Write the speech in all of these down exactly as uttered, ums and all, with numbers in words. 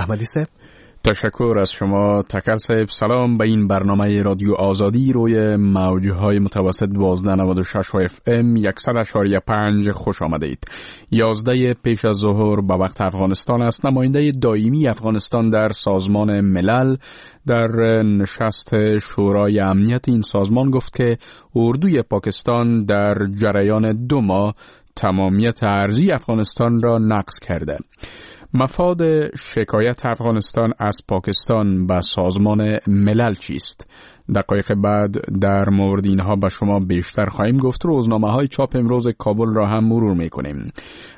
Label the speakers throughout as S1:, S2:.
S1: احمدی صاحب.
S2: تشکر از شما تکل صاحب. سلام به این برنامه رادیو آزادی روی موجهای متوسط دوازده نود و شش اف ام صد و پنج خوش آمدید. یازده پیش از ظهر به وقت افغانستان است. نماینده دائمی افغانستان در سازمان ملل در نشست شورای امنیت این سازمان گفت که اردوی پاکستان در جریان دو ماه تمامیت ارضی افغانستان را نقض کرده. مفاد شکایت افغانستان از پاکستان به سازمان ملل چیست؟ دقایق بعد در مورد اینها به شما بیشتر خواهیم گفت. روزنامه های چاپ امروز کابل را هم مرور میکنیم.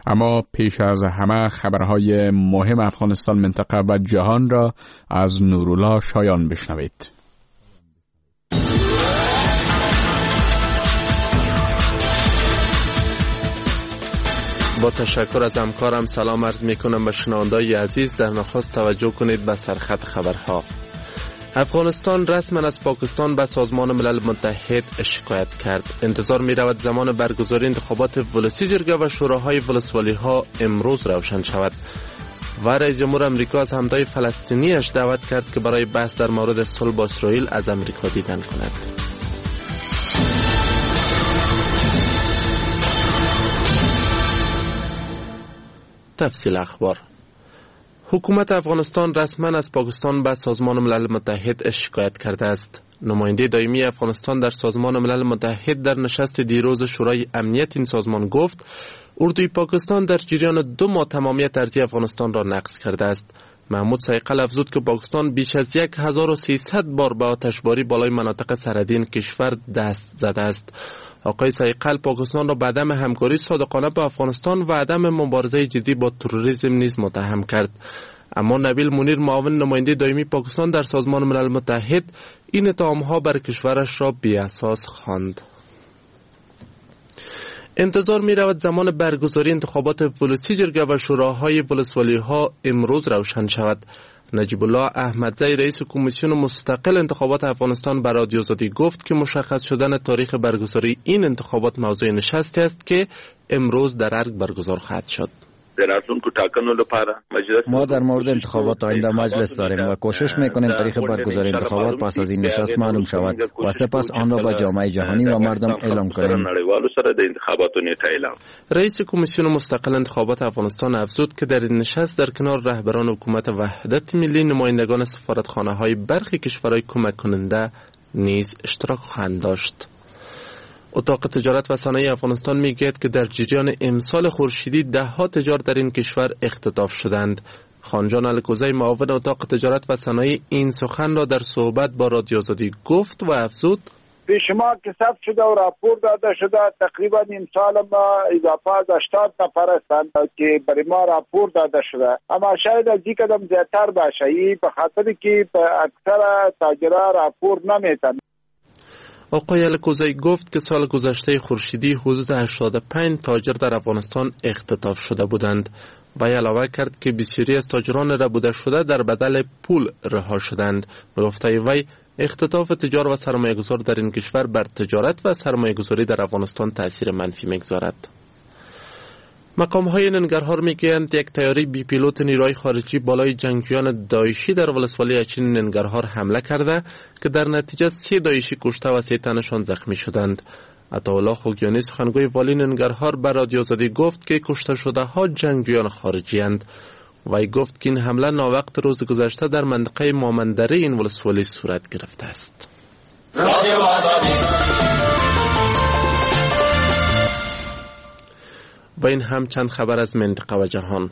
S2: اما پیش از همه خبرهای مهم افغانستان، منطقه و جهان را از نورالله شایان بشنوید.
S3: با تشکر از همکارم سلام عرض می کنم به شنونده‌های عزیز. در نخست توجه کنید به سرخط خبرها. افغانستان رسما از پاکستان به سازمان ملل متحد شکایت کرد. انتظار می رود زمان برگزاری انتخابات ولسی جرگه و شوراهای ولسوالی ها امروز روشن شود. و رئیس جمهور امریکا از همتای فلسطینیش دعوت کرد که برای بحث در مورد صلح با اسرائیل از امریکا دیدن کند. تفصیل اخبار. حکومت افغانستان رسما از پاکستان به سازمان ملل متحد شکایت کرده است. نماینده دائمی افغانستان در سازمان ملل متحد در نشست دیروز شورای امنیت این سازمان گفت اردوی پاکستان در جریان دو ماه تمامیت ارضی افغانستان را نقض کرده است. محمود سیقل افزود که پاکستان بیش از هزار و سیصد بار به آتشباری بالای مناطق سرحدی این کشور دست زده است. آقای سیقل پاکستان را به عدم همکاری صادقانه با افغانستان و عدم مبارزه جدی با تروریسم نیز متهم کرد. اما نبیل منیر معاون نماینده دائمی پاکستان در سازمان ملل متحد این اتهام‌ها بر کشورش را بی‌اساس خواند. انتظار می رود زمان برگزاری انتخابات ولسی جرگه و شوراهای ولسوالی ها امروز روشن شود. نجیب الله احمدزی رئیس کمیسیون مستقل انتخابات افغانستان بر رادیو آزادی گفت که مشخص شدن تاریخ برگزاری این انتخابات موضوع نشستی است که امروز در ارگ برگزار خواهد شد.
S4: ما در مورد انتخابات آینده مجلس داریم و کوشش میکنیم تاریخ برگزاری انتخابات پس از این نشست معلوم شود و سپس آن را به جامعه جهانی و مردم اعلام کنیم.
S3: رئیس کمیسیون مستقل انتخابات افغانستان افزود که در این نشست در کنار رهبران حکومت وحدت ملی، نمایندگان سفارتخانه های برخی کشورهای کمک کننده نیز اشتراک خواهند داشت. اتاق تجارت و صنایع افغانستان میگوید که در جریان امسال خورشیدی ده ها تجار در این کشور اختطاف شدند. خانجان الکوزی معاون اتاق تجارت و صنایع این سخن را در صحبت با رادیو آزادی گفت و افزود:
S5: پیش ما که ثبت شده و راپور داده شده تقریبا امسال ما اضافه از هشتاد نفر هستند که برای ما راپور داده شده، اما شاید از این قدم زیادتر باشه، این به خاطر که اکثر تاجرها راپور نمیتن.
S3: آقای الکوزی گفت که سال گذشته خورشیدی حدود هشتاد و پنج تاجر در افغانستان اختطاف شده بودند و علاوه کرد که بسیاری از تاجران ربوده شده در بدل پول رها شدند. به گفته وی اختطاف تجار و سرمایه‌گذار در این کشور بر تجارت و سرمایه‌گذاری در افغانستان تاثیر منفی می‌گذارد. مقام های ننگرهار میگویند یک طیاره بی پیلوت نیروی خارجی بالای جنگجویان داعشی در ولسوالی اچین ننگرهار حمله کرده که در نتیجه سه داعشی کشته و سه تنشان زخمی شدند. عطاالله خوگیانی سخنگوی والی ننگرهار بر رادیو آزادی گفت که کشته شده ها جنگجویان خارجی اند. وی گفت که این حمله ناوقت روز گذشته در منطقه مامندره این ولسوالی صورت گرفته است. و این هم چند خبر از منطقه و جهان.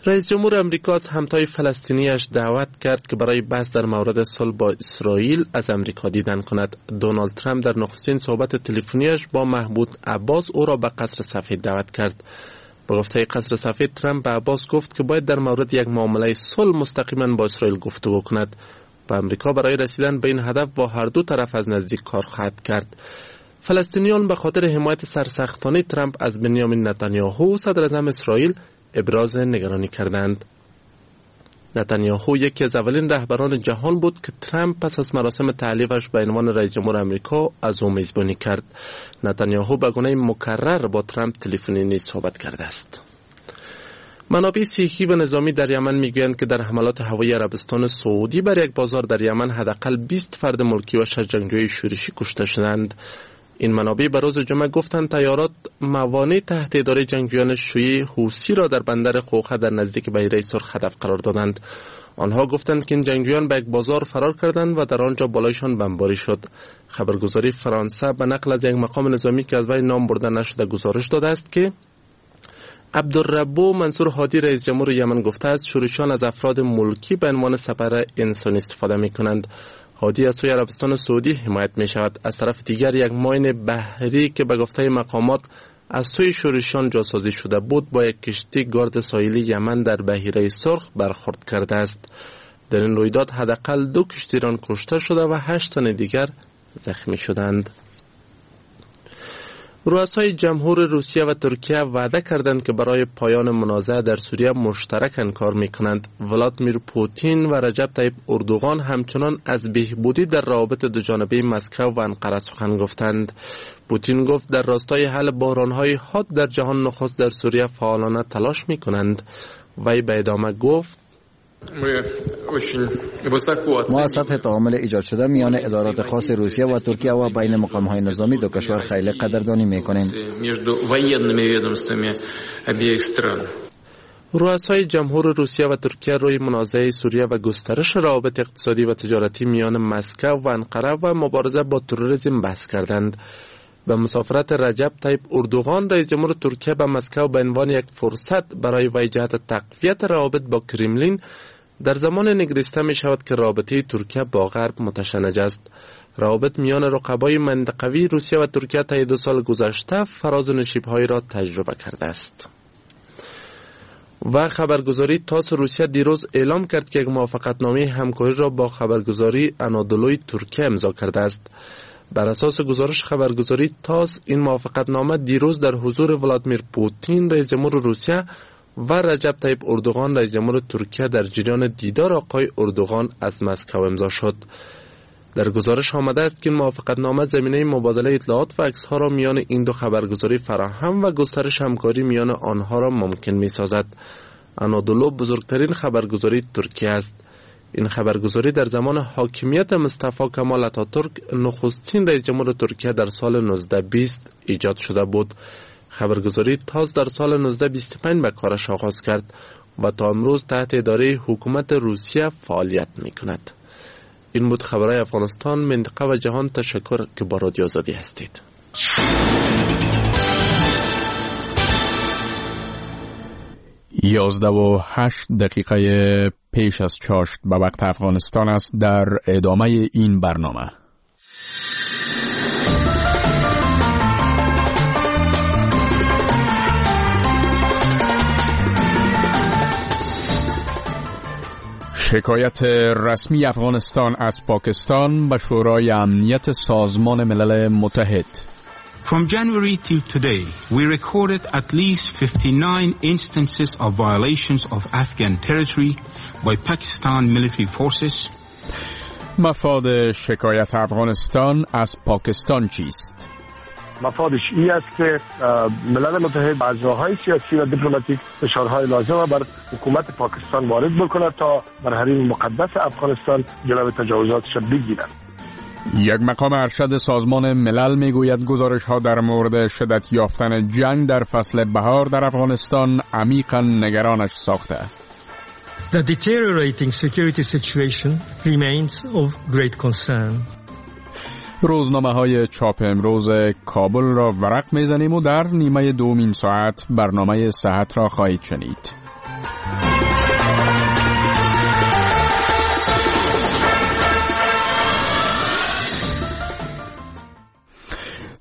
S3: رئیس جمهور امریکا از همتای فلسطینیش دعوت کرد که برای بحث در مورد صلح با اسرائیل از امریکا دیدن کند. دونالد ترامپ در نخستین صحبت تلفنیش با محمود عباس او را به قصر سفید دعوت کرد. به گفته قصر سفید، ترامپ به عباس گفت که باید در مورد یک معامله صلح مستقیما با اسرائیل گفتگو کند و امریکا برای رسیدن به این هدف با هر دو طرف از نزدیک کار خواهد کرد. فلسطینیان به خاطر حمایت سرسختانه ترامپ از بنیامین نتانیاهو صدر اعظم اسرائیل ابراز نگرانی کردند. نتانیاهو یکی از اولین رهبران جهان بود که ترامپ پس از مراسم تعلیقش به عنوان رئیس جمهور امریکا از او میزبانی کرد. نتانیاهو به گونه مکرر با ترامپ تلفنی نیز صحبت کرده است. منابع صحی و نظامی در یمن میگویند که در حملات هوایی عربستان سعودی بر یک بازار در یمن حداقل بیست فرد ملکی و شش جنگجوی شورشی کشته شدند. این منابع به روز جمعه گفتند طیارات موانع تحت اداره جنگجویان شیعه حوثی را در بندر خوخه در نزدیک بحیره سرخ هدف قرار دادند. آنها گفتند که این جنگجویان به یک بازار فرار کردند و در آنجا بالایشان بمباری شد. خبرگزاری فرانسه به نقل از یک مقام نظامی که از وی نام برده نشده گزارش داده است که عبدالربو منصور هادی رئیس جمهور یمن گفته است شورشیان از افراد ملکی به عنوان سپر انسانی استفاده می کنند. هادی از سوی عربستان سعودی حمایت می شود. از طرف دیگر یک ماین بحری که به گفته مقامات از سوی شورشیان جاسازی شده بود با یک کشتی گارد ساحلی یمن در بحیره سرخ برخورد کرده است. در این رویداد حداقل دو کشتیران کشته شده و هشت تن دیگر زخمی شدند. رؤسای جمهور روسیه و ترکیه وعده کردند که برای پایان منازعه در سوریه مشترکاً کار میکنند. ولادیمیر پوتین و رجب طیب اردوغان همچنان از بهبودی در روابط دوجانبه مسکو و انقره سخن گفتند. پوتین گفت در راستای حل بحران‌های حاد در جهان نخست در سوریه فعالانه تلاش میکنند. وی به ادامه گفت
S4: ما سطح تعامل ایجاد شده میان ادارات خاص روسیه و ترکیه و بین مقام‌های نظامی دو کشور خیلی قدردانی میکنیم.
S3: رؤسای جمهور روسیه و ترکیه روی منازعه سوریه و گسترش روابط اقتصادی و تجارتی میان مسکو و انقره و مبارزه با تروریسم بحث کردند. به مسافرت رجب طیب اردوغان رئیس جمهور ترکیه به مسکو به عنوان یک فرصت برای وی جهت تقویت روابط با کرملین در زمان نگریسته می شود که رابطه ترکیه با غرب متشنج است. روابط میان رقبای منطقوی روسیه و ترکیه طی دو سال گذشته فراز و نشیب‌هایی را تجربه کرده است. و خبرگزاری تاس روسیه دیروز اعلام کرد که یک موافقتنامه همکاری را با خبرگزاری انادولوی ترکیه امضا کرده است. بر اساس گزارش خبرگزاری تاس، این موافقتنامه دیروز در حضور ولادیمیر پوتین رئیس جمهور روسیه و رجب طیب اردوغان رئیس جمهور ترکیه در جریان دیدار آقای اردوغان از مسکو امضا شد. در گزارش آمده است که این موافقتنامه زمینه مبادله اطلاعات و عکس‌ها را میان این دو خبرگزاری فراهم و گسترش همکاری میان آنها را ممکن می‌سازد. انادولو بزرگترین خبرگزاری ترکیه است. این خبرگزاری در زمان حاکمیت مصطفی کمال اتاتورک نخستین رئیس جمهور ترکیه در سال نوزده بیست ایجاد شده بود. خبرگزاری تاس در سال نوزده بیست و پنج به کارش آغاز کرد و تا امروز تحت اداره حکومت روسیه فعالیت می کند. این بود خبرهای افغانستان، منطقه و جهان. تشکر که با رادیو آزادی هستید.
S2: یازده و هشت دقیقه پیش از چاشت به وقت افغانستان است. در ادامه این برنامه شکایت رسمی افغانستان از پاکستان به شورای امنیت سازمان ملل متحد.
S1: From January till today, we recorded at least fifty-nine instances of violations of Afghan territory by Pakistan military forces.
S2: مفاد شکایت افغانستان از پاکستان چیست؟
S6: مفادش این است که ملل متحد از راه‌های سیاسی و دیپلماتیک فشارهای لازم بر حکومت پاکستان وارد بکند تا بر حریم مقدس افغانستان جلو تجاوزاتش بگیرد.
S2: یک مقام ارشد سازمان ملل میگوید گزارش ها در مورد شدت یافتن جنگ در فصل بهار در افغانستان عمیقاً نگرانش ساخته.
S7: The deteriorating security situation remains of great concern.
S2: روزنامه های چاپ امروز کابل را ورق میزنیم و در نیمه دومین ساعت برنامه صحت را خواهید شنید.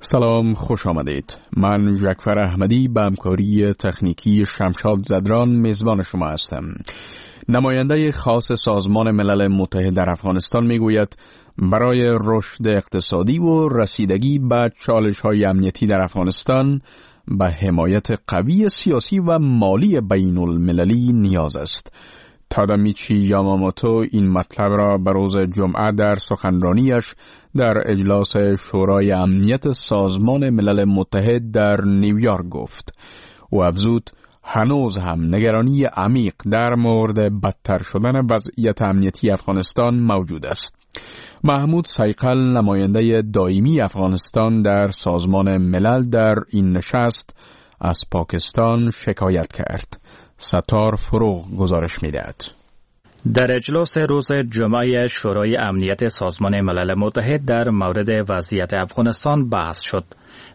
S2: سلام، خوش آمدید. من جعفر احمدی به همکاری تکنیکی شمشاد زدران میزبان شما هستم. نماینده خاص سازمان ملل متحد در افغانستان میگوید برای رشد اقتصادی و رسیدگی به چالش‌های امنیتی در افغانستان به حمایت قوی سیاسی و مالی بین المللی نیاز است. تادامیچی یاماموتو این مطلب را به روز جمعه در سخنرانیش در اجلاس شورای امنیت سازمان ملل متحد در نیویورک گفت و افزود هنوز هم نگرانی عمیق در مورد بدتر شدن وضعیت امنیتی افغانستان موجود است. محمود صیقل، نماینده دائمی افغانستان در سازمان ملل، در این نشست از پاکستان شکایت کرد. ستار فروغ گزارش میدهد.
S8: در اجلاس روز جمعه شورای امنیت سازمان ملل متحد در مورد وضعیت افغانستان بحث شد.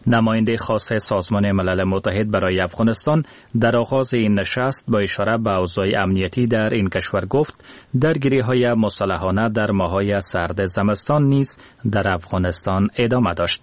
S8: نماینده خاص سازمان ملل متحد برای افغانستان در آغاز این نشست با اشاره به اوضاع امنیتی در این کشور گفت درگیری های مسلحانه در ماه‌های سرد زمستان نیز در افغانستان ادامه داشت.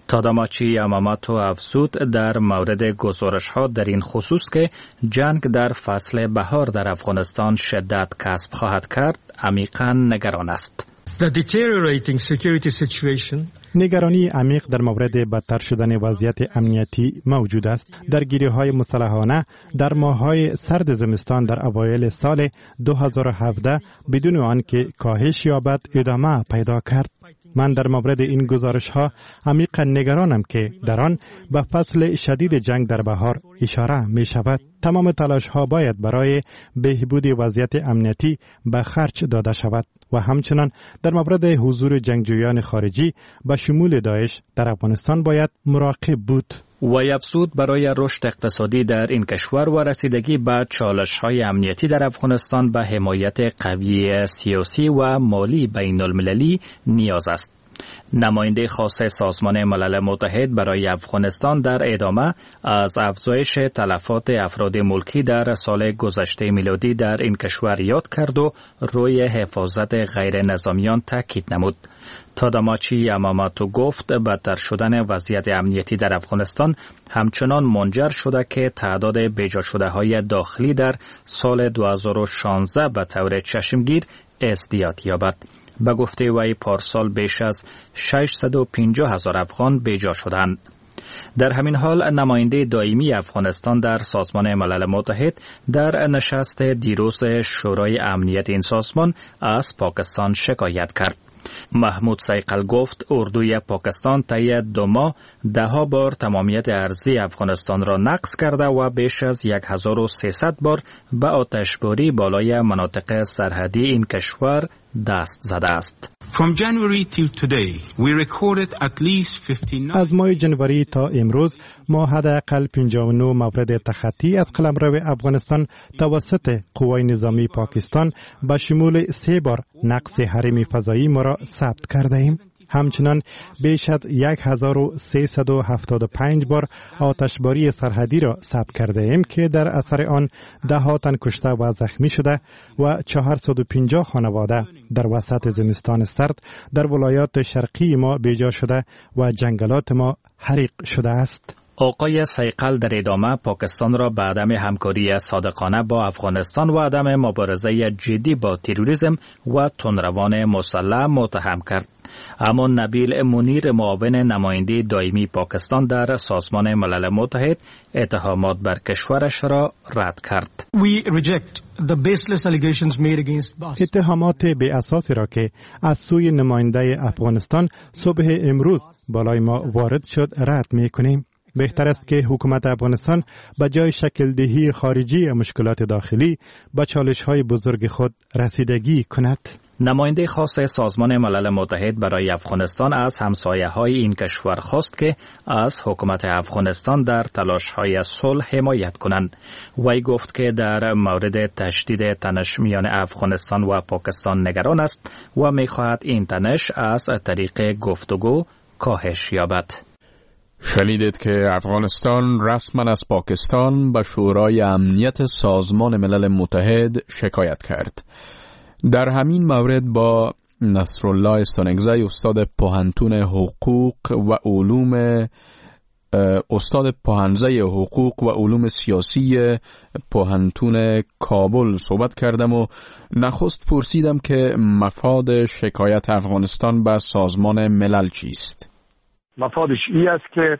S8: تاداماچی یاماماتو افزود در مورد گزارش ها در این خصوص که جنگ در فصل بهار در افغانستان شدت کسب خواهد کرد، عمیقا نگران است.
S7: The deteriorating security situation
S9: نگرانی عمیق در مورد بدتر شدن وضعیت امنیتی موجود است. درگیری های مسلحانه در ماه‌های سرد زمستان در اوایل سال دو هزار و هفده بدون آنکه کاهش یابد ادامه پیدا کرد. من در مورد این گزارش ها عمیقا نگرانم که در آن به فصل شدید جنگ در بهار اشاره می شود. تمام تلاش ها باید برای بهبود وضعیت امنیتی به خرج داده شود و همچنان در مورد حضور جنگجویان خارجی به شمول داعش در افغانستان باید مراقب بود.
S8: وی افزود برای رشد اقتصادی در این کشور و رسیدگی به چالش های امنیتی در افغانستان به حمایت قوی سیاسی و مالی بین المللی نیاز است. نماینده خاص سازمان ملل متحد برای افغانستان در ادامه از افزایش تلفات افراد ملکی در سال گذشته میلادی در این کشور یاد کرد و روی حفاظت غیر نظامیان تاکید نمود. تاداماچی یاماماتو گفت بدتر شدن وضعیت امنیتی در افغانستان همچنان منجر شده که تعداد بیجا شده های داخلی در سال دو هزار و شانزده به طور چشمگیر ازدیاد یابد. به گفته وی پارسال بیش از ششصد و پنجاه هزار افغان بیجا شدند. در همین حال نماینده دائمی افغانستان در سازمان ملل متحد در نشست دیروز شورای امنیت این سازمان از پاکستان شکایت کرد. محمود صیقل گفت اردوی پاکستان طی دو ماه ده بار تمامیت ارضی افغانستان را نقض کرده و بیش از هزار و سیصد بار به آتشباری بالای مناطق سرحدی این کشور دست زده است.
S1: From January till today, we recorded at least fifty-nine
S9: از ماه جنوری تا امروز ما حداقل پنجاه و نه مورد تخطی از قلمرو افغانستان توسط قوای نظامی پاکستان به شمول سه بار نقض حریم فضایی ما را ثبت کرده ایم. همچنان بیش از هزار و سیصد و هفتاد و پنج بار آتشباری سرحدی را ثبت کرده ایم که در اثر آن ده ها تن کشته و زخمی شده و چهارصد و پنجاه خانواده در وسط زمستان سرد در ولایات شرقی ما بیجا شده و جنگلات ما حریق شده است.
S8: آقای صیقل در ادامه پاکستان را به عدم همکاری صادقانه با افغانستان و عدم مبارزه جدی با تروریسم و تندروان مسلح متهم کرد. اما نبیل منیر، معاون نماینده دائمی پاکستان در سازمان ملل متحد، اتهامات بر کشورش را رد کرد.
S9: اتهامات بی اساسی را که از سوی نماینده افغانستان صبح امروز بالای ما وارد شد رد می کنیم. بهتر است که حکومت افغانستان به جای شکل دهی خارجی مشکلات داخلی به چالش های بزرگ خود رسیدگی کند.
S8: نماینده خاص سازمان ملل متحد برای افغانستان از همسایه های این کشور خواست که از حکومت افغانستان در تلاش های صلح حمایت کنند. وی گفت که در مورد تشدید تنش میان افغانستان و پاکستان نگران است و میخواهد این تنش از طریق گفتگو کاهش یابد.
S2: شنیدید که افغانستان رسما از پاکستان به شورای امنیت سازمان ملل متحد شکایت کرد. در همین مورد با نصرالله ستانکزی، استاد پوهنتون حقوق و علوم استاد پوهنځی حقوق و علوم سیاسی پوهنتون کابل صحبت کردم و نخست پرسیدم که مفاد شکایت افغانستان به سازمان ملل چیست؟
S6: مفادش ای است که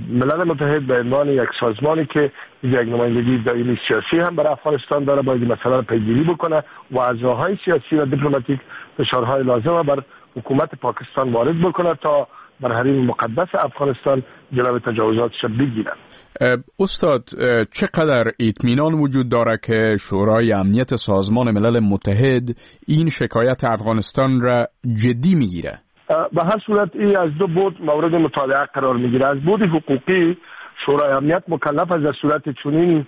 S6: ملل متحد به عنوان یک سازمانی که یک نمایندگی دائمی سیاسی هم برای افغانستان داره، باید مسئله را پیگیری بکنه و از راههای سیاسی و دیپلماتیک فشارهای لازم بر حکومت پاکستان وارد بکنه تا بر حریم مقدس افغانستان جلوی تجاوزاتش بگیرند.
S2: استاد، چقدر اطمینان وجود داره که شورای امنیت سازمان ملل متحد این شکایت افغانستان را جدی میگیره؟
S6: به هر صورت این از دو بعد مورد مطالعه قرار میگیره. از بعد حقوقی شورای امنیت مکلف است در صورت چنین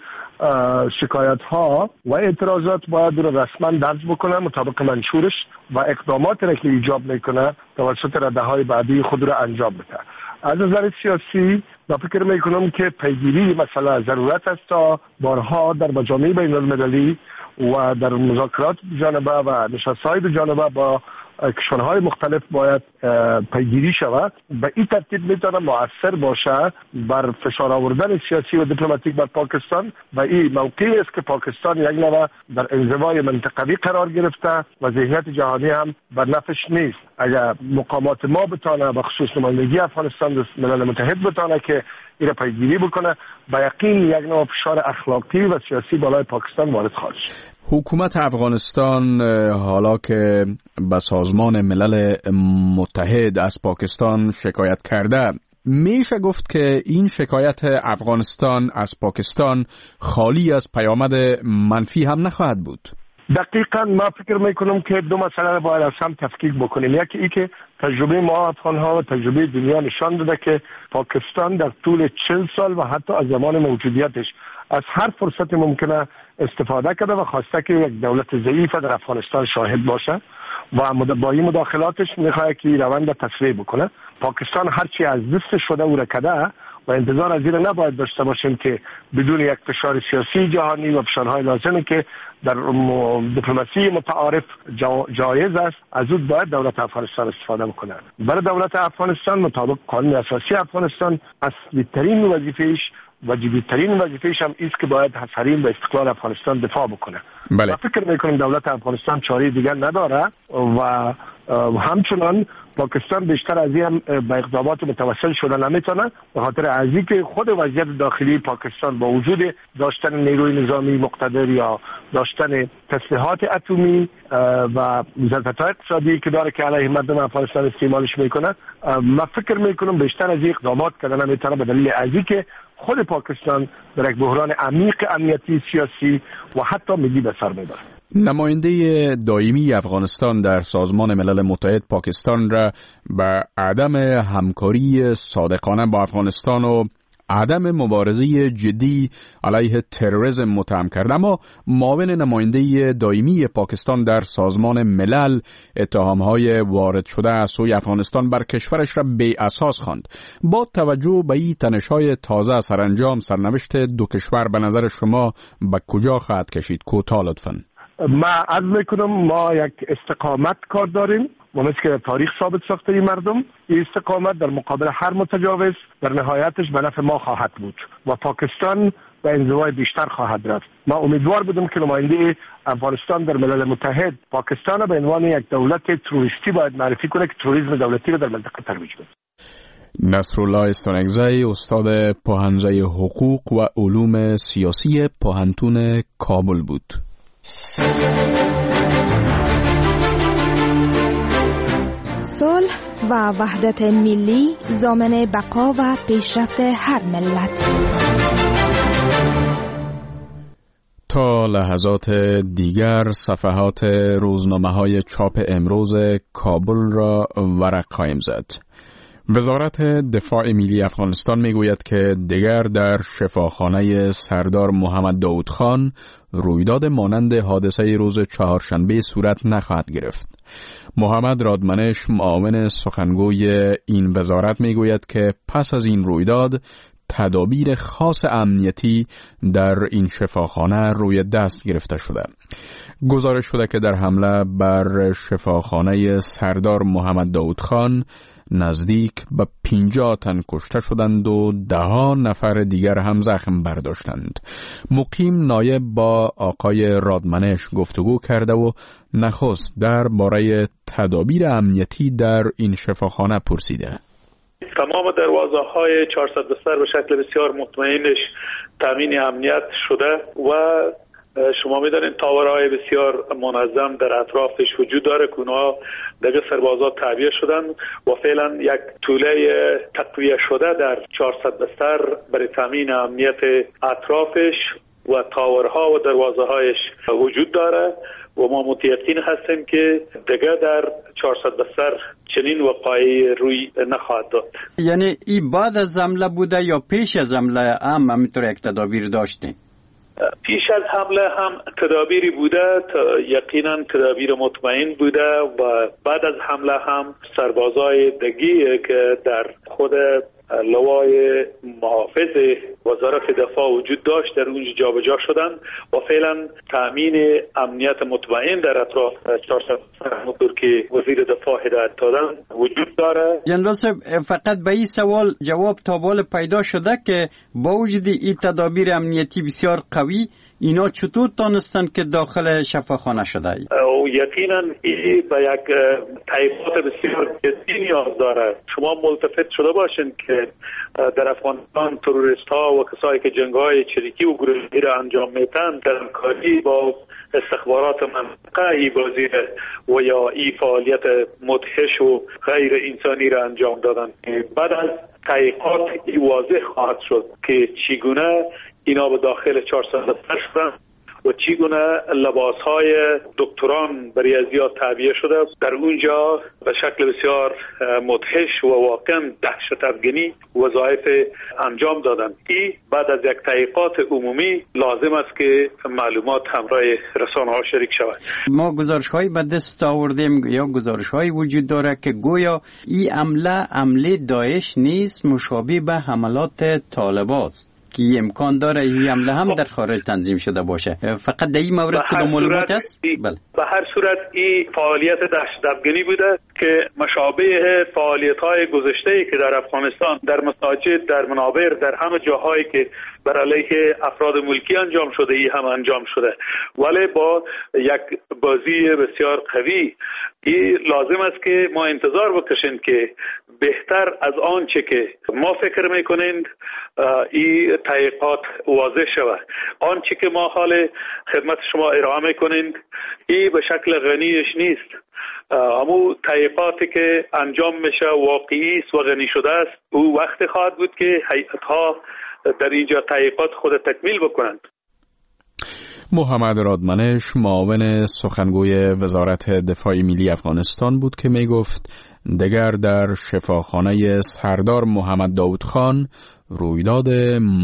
S6: شکایت ها و اعتراضات باید رو رسما درج بکنه مطابق منشورش و اقداماتی را که ایجاب میکنه توسط رده های بعدی خود را انجام بده. از نظر سیاسی من فکر میکنم که پیگیری مسئله ضرورت است تا بارها در مجامع بین المللی و در مذاکرات جانبه و نشست‌های دو جانبه با کشورهای مختلف باید پیگیری شود. به این ترتیب میتونه مؤثر باشه بر فشار آوردن سیاسی و دیپلماتیک بر پاکستان و این موقعی است که پاکستان یک نوع در انزوای منطقوی قرار گرفته و ذهنیت جهانی هم بر نفش نیست. اگر مقامات ما بتانه به خصوص نمایندگی افغانستان در ملل متحد بتانه که این را پیگیری بکنه، به یقین یک نوع فشار اخلاقی و سیاسی بالای پاکستان وارد خواهد شد.
S2: حکومت افغانستان حالا که به سازمان ملل متحد از پاکستان شکایت کرده، میشه گفت که این شکایت افغانستان از پاکستان خالی از پیامد منفی هم نخواهد بود؟
S6: دقیقاً ما فکر میکنم که دو مسئله را باید از هم تفکیک بکنیم. یکی ای که تجربه ما افغان ها و تجربه دنیا نشان داده که پاکستان در طول چهل سال و حتی از زمان موجودیتش از هر فرصت ممکنه استفاده کرده و خواسته که یک دولت ضعیف در افغانستان شاهد باشه و با این مداخلاتش میخواد که روند تسریع بکنه. پاکستان هرچی از دست شده او را کرده و انتظار از این نباید داشته باشیم که بدون یک فشار سیاسی جهانی و فشارهای لازمی که در دیپلماسی متعارف جایز است از او باید دولت افغانستان استفاده بکنه. برای دولت افغانستان مطابق قانون اساسی افغانستان اصلی ترین وظیفه‌اش و جدی‌ترین وظیفه‌اش هم است که باید از حریم و استقلال افغانستان دفاع بکنه.
S2: بله.
S6: فکر میکنم دولت افغانستان چاره دیگر نداره و همچنان پاکستان بیشتر از این هم به اقدامات متوسل شده نمیتونه، به خاطر از اینکه خود وضعیت داخلی پاکستان با وجود داشتن نیروی نظامی مقتدر یا داشتن تسلیحات اتمی و ظرفیت‌های اقتصادی که داره که علیه مردم افغانستان استعمالش میکنه، من فکر میکنم بیشتر از این اقدامات کردن نمیتونه، به دلیل از اینکه خود پاکستان در یک بحران عمیق امنیتی، سیاسی و حتی ملی به سر میبره.
S2: نماینده دائمی افغانستان در سازمان ملل متحد پاکستان را به عدم همکاری صادقانه با افغانستان و عدم مبارزه جدی علیه تروریسم متهم کرد، اما معاون نماینده دائمی پاکستان در سازمان ملل اتهام‌های وارد شده از سوی افغانستان بر کشورش را بی اساس خواند. با توجه به این تنش‌های تازه سرانجام سرنوشت دو کشور به نظر شما به کجا خواهد کشید؟ کوتاه لطفاً.
S6: ما عرض میکنم ما یک استقامت کار داریم و مثل که تاریخ ثابت ساخته این مردم، این استقامت در مقابل هر متجاوز در نهایتش به نفع ما خواهد بود و پاکستان به انزوای بیشتر خواهد رفت. ما امیدوار بودم که نماینده افغانستان در ملل متحد پاکستان به عنوان یک دولت تروریستی باید معرفی کنه که تروریسم دولتی را در منطقه ترویج بده.
S2: نصرالله استانکزی، استاد پوهنځی حقوق و علوم سیاسی پوهنتون کابل بود.
S10: صلح و وحدت ملی ضامن بقا و پیشرفت هر ملت.
S2: تا لحظات دیگر صفحات روزنامه‌های چاپ امروز کابل را ورق خواهیم زد. وزارت دفاع ملی افغانستان میگوید که دیگر در شفاخانه سردار محمد داود خان رویداد مانند حادثه روز چهارشنبه صورت نخواهد گرفت. محمد رادمنش، معاون سخنگوی این وزارت، میگوید که پس از این رویداد تدابیر خاص امنیتی در این شفاخانه روی دست گرفته شده. گزارش شده که در حمله بر شفاخانه سردار محمد داود خان نزدیک به پنجاه تن کشته شدند و ده ها نفر دیگر هم زخم برداشتند. مقیم نایب با آقای رادمنش گفتگو کرده و نخست در باره تدابیر امنیتی در این شفاخانه پرسیده.
S11: تمام دروازه های چهارصد بستر به شکل بسیار مطمئنش تامین امنیت شده و شما میدانید تاورهای بسیار منظم در اطرافش وجود داره که اونها دیگه سربازا تعبیه شدن و فعلا یک توله تقویه شده در چهارصد بستر برای تامین امنیت اطرافش و تاورها و دروازه هایش وجود داره و ما متیقن هستیم که دیگه در چهارصد بستر چنین وقایعی روی نخواهد داد.
S12: یعنی ای بعد از حمله بوده یا پیش از حمله هم همینطور یک تدابیر داشتیم؟
S11: پیش از حمله هم تدابیری بوده، یقینا تدابیر مطمئن بوده و بعد از حمله هم سربازای دیگه که در خود لوای محافظ وزارت دفاع وجود داشت در اونجا جابجا شدن و فعلا تامین امنیت مطمئن در اطراف چهارصد همونطور که وزیر دفاع هدایت دادن وجود داره.
S12: جنرال صاحب، فقط به این سوال جواب تا حال پیدا شده که با وجود این تدابیر امنیتی بسیار قوی اینا چطور تانستن که داخل شفاخانه شده؟
S11: او یقینا این به یک تحقیقات بسیار جدی نیاز داره. شما ملتفت شده باشین که در افغانستان تروریست ها و کسایی که جنگ های چریکی و گروهی را انجام میتن در همکاری با استخبارات منطقه ای بازی و یا ای فعالیت مدهش و غیر انسانی را انجام دادن. بعد از تحقیقات ای واضح خواهد شد که چگونه اینا به داخل چهارصد شدن و چگونه لباس‌های دکتران برای ازیا تعبیه شده در اونجا به شکل بسیار مدهش و واقعا دهشت افگنی وظایف انجام دادن. ای بعد از یک تحقیقات عمومی لازم است که معلومات همراه رسانه‌ها شریک شود.
S12: ما گزارش‌هایی به دست آوردیم یا گزارش‌هایی وجود داره که گویا این حمله حمله داعش نیست، مشابه به حملات طالبان است که امکان داره این حمله هم در خارج تنظیم شده باشه. فقط در این مورد کدام معلومات است؟
S11: بله. به هر صورت این فعالیت دهشت افگنی بوده که مشابه فعالیت‌های گذشته‌ای که در افغانستان در مساجد، در منابر، در همه جاهایی که بر علیه افراد ملکی انجام شده ای هم انجام شده، ولی با یک بازی بسیار قوی. این لازم است که ما انتظار بکشیم که بهتر از آنچه که ما فکر میکنیم این تحقیقات واضح شود. آنچه که ما حال خدمت شما ارائه میکنیم این به شکل غنیش نیست. امو تحقیقاتی که انجام میشه واقعی است و غنی شده است. او وقت خواهد بود که هیئت‌ها در اینجا تحقیقات خود تکمیل بکنند.
S2: محمد رادمنش، معاون سخنگوی وزارت دفاع ملی افغانستان بود که می گفت دگر در شفاخانه سردار محمد داود خان رویداد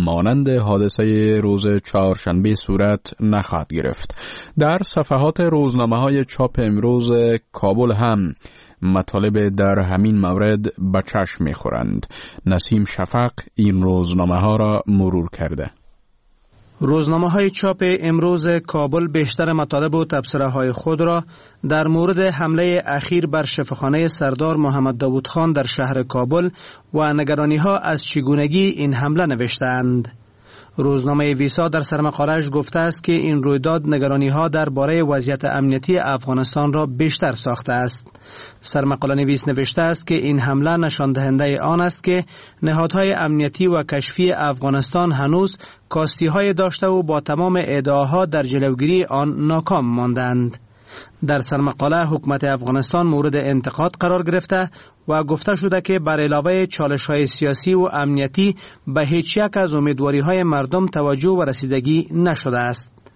S2: مانند حادثه روز چهارشنبه صورت نخواهد گرفت. در صفحات روزنامه های چاپ امروز کابل هم مطالب در همین مورد به چشم می‌خورند. نسیم شفق این روزنامه ها را مرور کرده.
S13: روزنامه های چاپ امروز کابل بیشتر مطالب و تبصره های خود را در مورد حمله اخیر بر شفاخانه سردار محمد داود خان در شهر کابل و نگرانی ها از چگونگی این حمله نوشتند. روزنامه ویسا در سرمقاله‌اش گفته است که این رویداد نگرانی ها درباره وضعیت امنیتی افغانستان را بیشتر ساخته است. سرمقاله نویس نوشته است که این حمله نشان دهنده آن است که نهادهای امنیتی و کشفی افغانستان هنوز کاستی های داشته و با تمام ادعاها در جلوگیری آن ناکام ماندند. در سرمقاله حکومت افغانستان مورد انتقاد قرار گرفته و گفته شده که بر علاوه چالش‌های سیاسی و امنیتی به هیچ یک از امیدواری‌های مردم توجه و رسیدگی نشده است.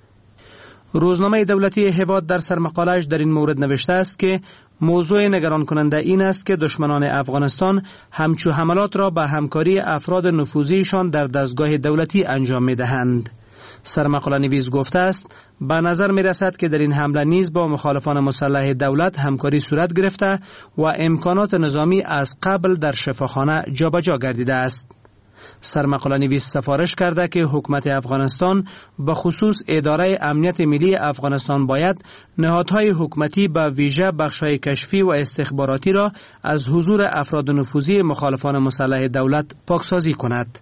S13: روزنامه دولتی هیواد در سرمقاله‌اش در این مورد نوشته است که موضوع نگران کننده این است که دشمنان افغانستان همچو حملات را به همکاری افراد نفوذیشان در دستگاه دولتی انجام می‌دهند. سرمقاله نویس گفته است به نظر می رسد که در این حمله نیز با مخالفان مسلح دولت همکاری صورت گرفته و امکانات نظامی از قبل در شفاخانه جابجا گردیده است. سرمقاله نویس سفارش کرده که حکومت افغانستان به خصوص اداره امنیت ملی افغانستان باید نهادهای حکومتی به ویژه بخش‌های کشفی و استخباراتی را از حضور افراد نفوذی مخالفان مسلح دولت پاکسازی کند.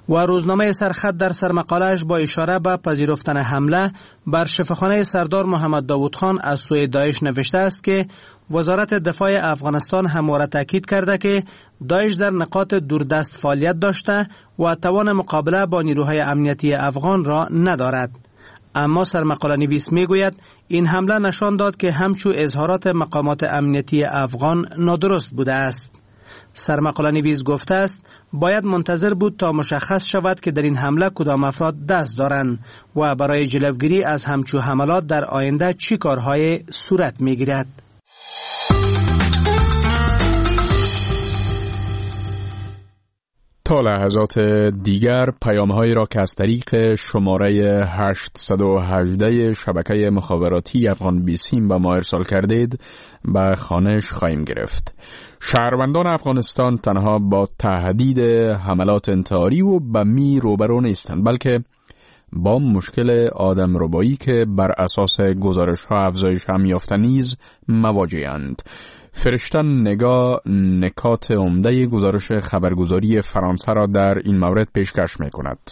S13: و روزنامه سرخط در سرمقاله‌اش با اشاره به پذیرفتن حمله بر شفاخانه سردار محمد داود خان از سوی داعش نوشته است که وزارت دفاع افغانستان همواره تاکید کرده که داعش در نقاط دوردست فعالیت داشته و توان مقابله با نیروهای امنیتی افغان را ندارد. اما سرمقاله نویس می گوید این حمله نشان داد که همچو اظهارات مقامات امنیتی افغان نادرست بوده است. سرمقاله نویس گفته است باید منتظر بود تا مشخص شود که در این حمله کدام افراد دست دارند و برای جلوگیری از همچو حملات در آینده چی کارهای صورت می گیرد.
S2: تا لحظات دیگر پیام‌هایی را که از طریق شماره هشت یک هشت شبکه مخابراتی افغان بیسیم به ما ارسال کردید به خوانش خواهیم گرفت. شهروندان افغانستان تنها با تهدید حملات انتحاری و بمی روبرو نیستند، بلکه با مشکل آدم ربایی که بر اساس گزارش‌ها افزایش هم یافته نیز مواجه‌اند. فرشته نگاه نکات عمده گزارش خبرگزاری فرانسه را در این مورد پیشکش می کند.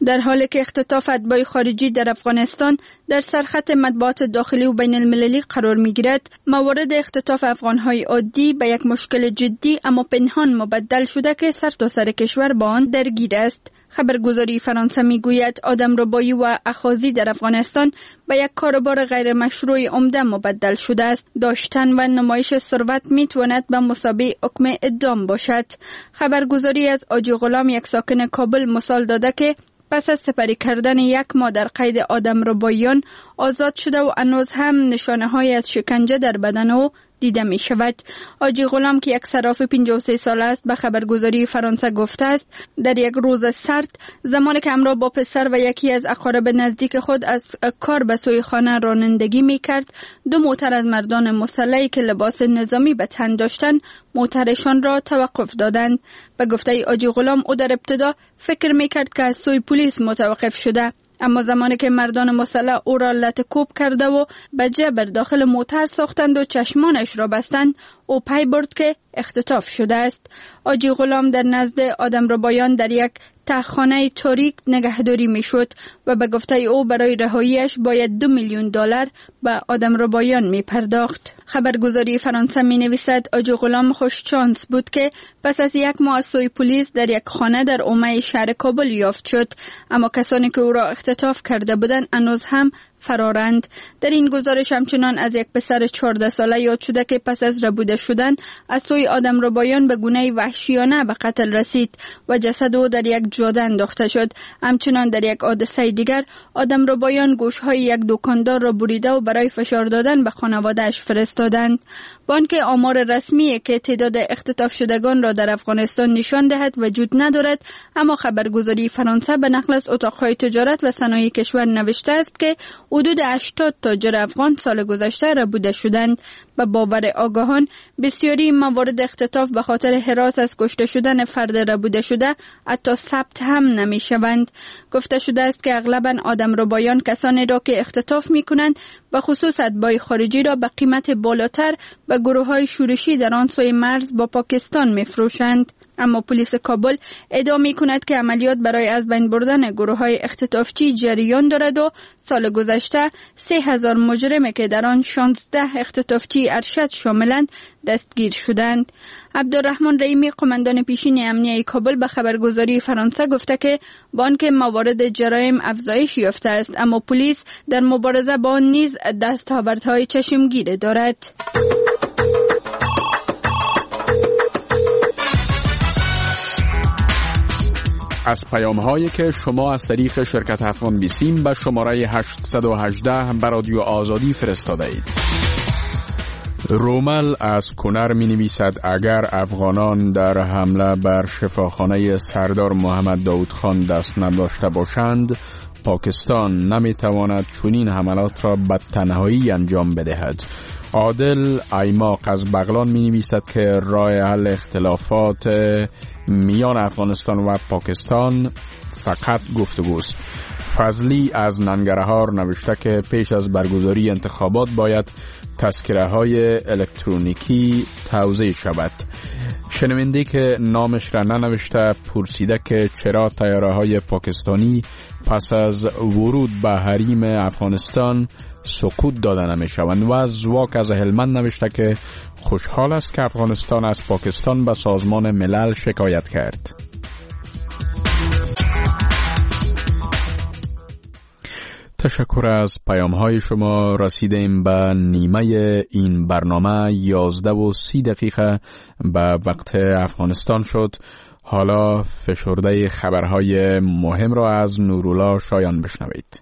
S14: در حالی که اختطاف اتباع خارجی در افغانستان در سرخط مطبوعات داخلی و بین المللی قرار می گیرد، موارد اختطاف افغانهای عادی به یک مشکل جدی اما پنهان مبدل شده که سرتاسر کشور با آن درگیر است. خبرگزاری فرانسه می گوید آدم ربایی و اخاذی در افغانستان به یک کاروبار غیر مشروع عمده مبدل شده است. داشتن و نمایش ثروت می تواند به مثابه حکم اعدام باشد. خبرگزاری از آجی غلام، یک ساکن کابل، مثال داده که پس از سپری کردن یک ماه در قید آدم ربایان آزاد شده و هنوز هم نشانه های از شکنجه در بدن او دیده می شود. آجی غلام که یک صراف پنجاه و سه ساله است به خبرگزاری فرانسه گفته است در یک روز سرد زمانی که همراه با پسر و یکی از اقارب نزدیک خود از کار به سوی خانه رانندگی می کرد، دو موتر از مردان مسلحی که لباس نظامی به تن داشتند موترشان را توقف دادند. به گفته آجی غلام او در ابتدا فکر می کرد که از سوی پلیس متوقف شده، اما زمانی که مردان مسلح او را لت کوب کرده و به جبر داخل موتر ساختند و چشمانش را بستند، او پی برد که اختطاف شده است. آجی غلام در نزد آدم ربایان در یک تهخانه تاریک نگهداری میشد و به گفته او برای رهاییش باید دو میلیون دلار به آدم ربایان می پرداخت. خبرگزاری فرانسه می نویسد آجی غلام خوش چانس بود که پس از یک ماه از سوی پلیس در یک خانه در اومه شهر کابل یافت شد، اما کسانی که او را اختطاف کرده بودند هنوز هم فرارند. در این گزارش همچنان از یک پسر چهارده ساله یاد شده که پس از ربوده شدن از سوی آدم ربایان به گونه وحشیانه به قتل رسید و جسد او در یک جاده انداخته شد. همچنان در یک حادثه دیگر آدم ربایان گوشهای یک دکاندار را بریده و برای فشار دادن به خانواده‌اش فرستادند. بانک آمار رسمی که تعداد اختطاف شدگان را در افغانستان نشان دهد وجود ندارد، اما خبرگزاری فرانسه به نقل از اتاقهای تجارت و صنایع کشور نوشته است که حدود هشتاد تاجر افغان سال گذشته ربوده شدند. به باور آگاهان بسیاری موارد اختطاف به خاطر هراس از کشته شدن فرد ربوده شده حتی ثبت هم نمی شوند. گفته شده است که اغلبا آدم ربایان کسانی را که اختطاف می کنند به خصوص اتباع خارجی را به قیمت بالاتر به گروه های شورشی در آن سوی مرز با پاکستان می فروشند. اما پلیس کابل ادعا می کند که عملیات برای از بین بردن گروه های اختطافچی جریان دارد و سال گذشته سه هزار مجرم که در آن شانزده اختطافچی ارشد شاملند دستگیر شدند. عبدالرحمن رحیمی، قماندان پیشین امنیه کابل، به خبرگزاری فرانسه گفته که بانک موارد جرایم افزایش یافته است، اما پلیس در مبارزه با آن نیز دستاوردهای چشمگیر دارد.
S2: از پیام هایی که شما از طریق شرکت افغان بیسیم به شماره هشت یک هشت بر رادیو آزادی فرستاده اید. رومل از کنر می نویسد اگر افغانان در حمله بر شفاخانه سردار محمد داود خان دست نداشته باشند، پاکستان نمی تواند چنین حملات را به تنهایی انجام بدهد. عادل ایماق از بغلان می نویسد که راه حل اختلافات میان افغانستان و پاکستان فقط گفتگوست. فضلی از ننگرهار نوشته که پیش از برگزاری انتخابات باید تذکره های الکترونیکی توزیع شود. شنونده که نامش را ننوشته پرسیده که چرا طیاره های پاکستانی پس از ورود به حریم افغانستان سقوط داده نمی شوند. و زواک از هلمند نوشته که خوشحال است که افغانستان از پاکستان به سازمان ملل شکایت کرد. تشکر از پیام های شما. رسیدیم به نیمه این برنامه، یازده و سی دقیقه به وقت افغانستان شد. حالا فشرده خبرهای مهم را از نورولا شایان بشنوید.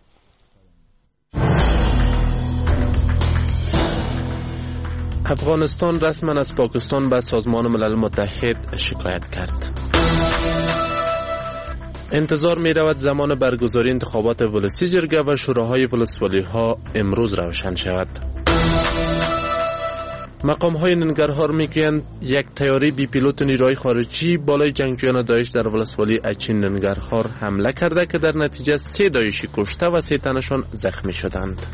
S3: افغانستان رسما از پاکستان به سازمان ملل متحد شکایت کرد. انتظار می رود زمان برگزاری انتخابات ولسی جرگه و شوراهای ولسوالی ها امروز روشن شود. مقام های ننگرهار می گویند یک طیاره بی پیلوت نیروهای خارجی بالای جنگجویان داعش در ولسوالی اچین ننگرهار حمله کرده که در نتیجه سه داعشی کشته و سه تنشان زخمی شدند.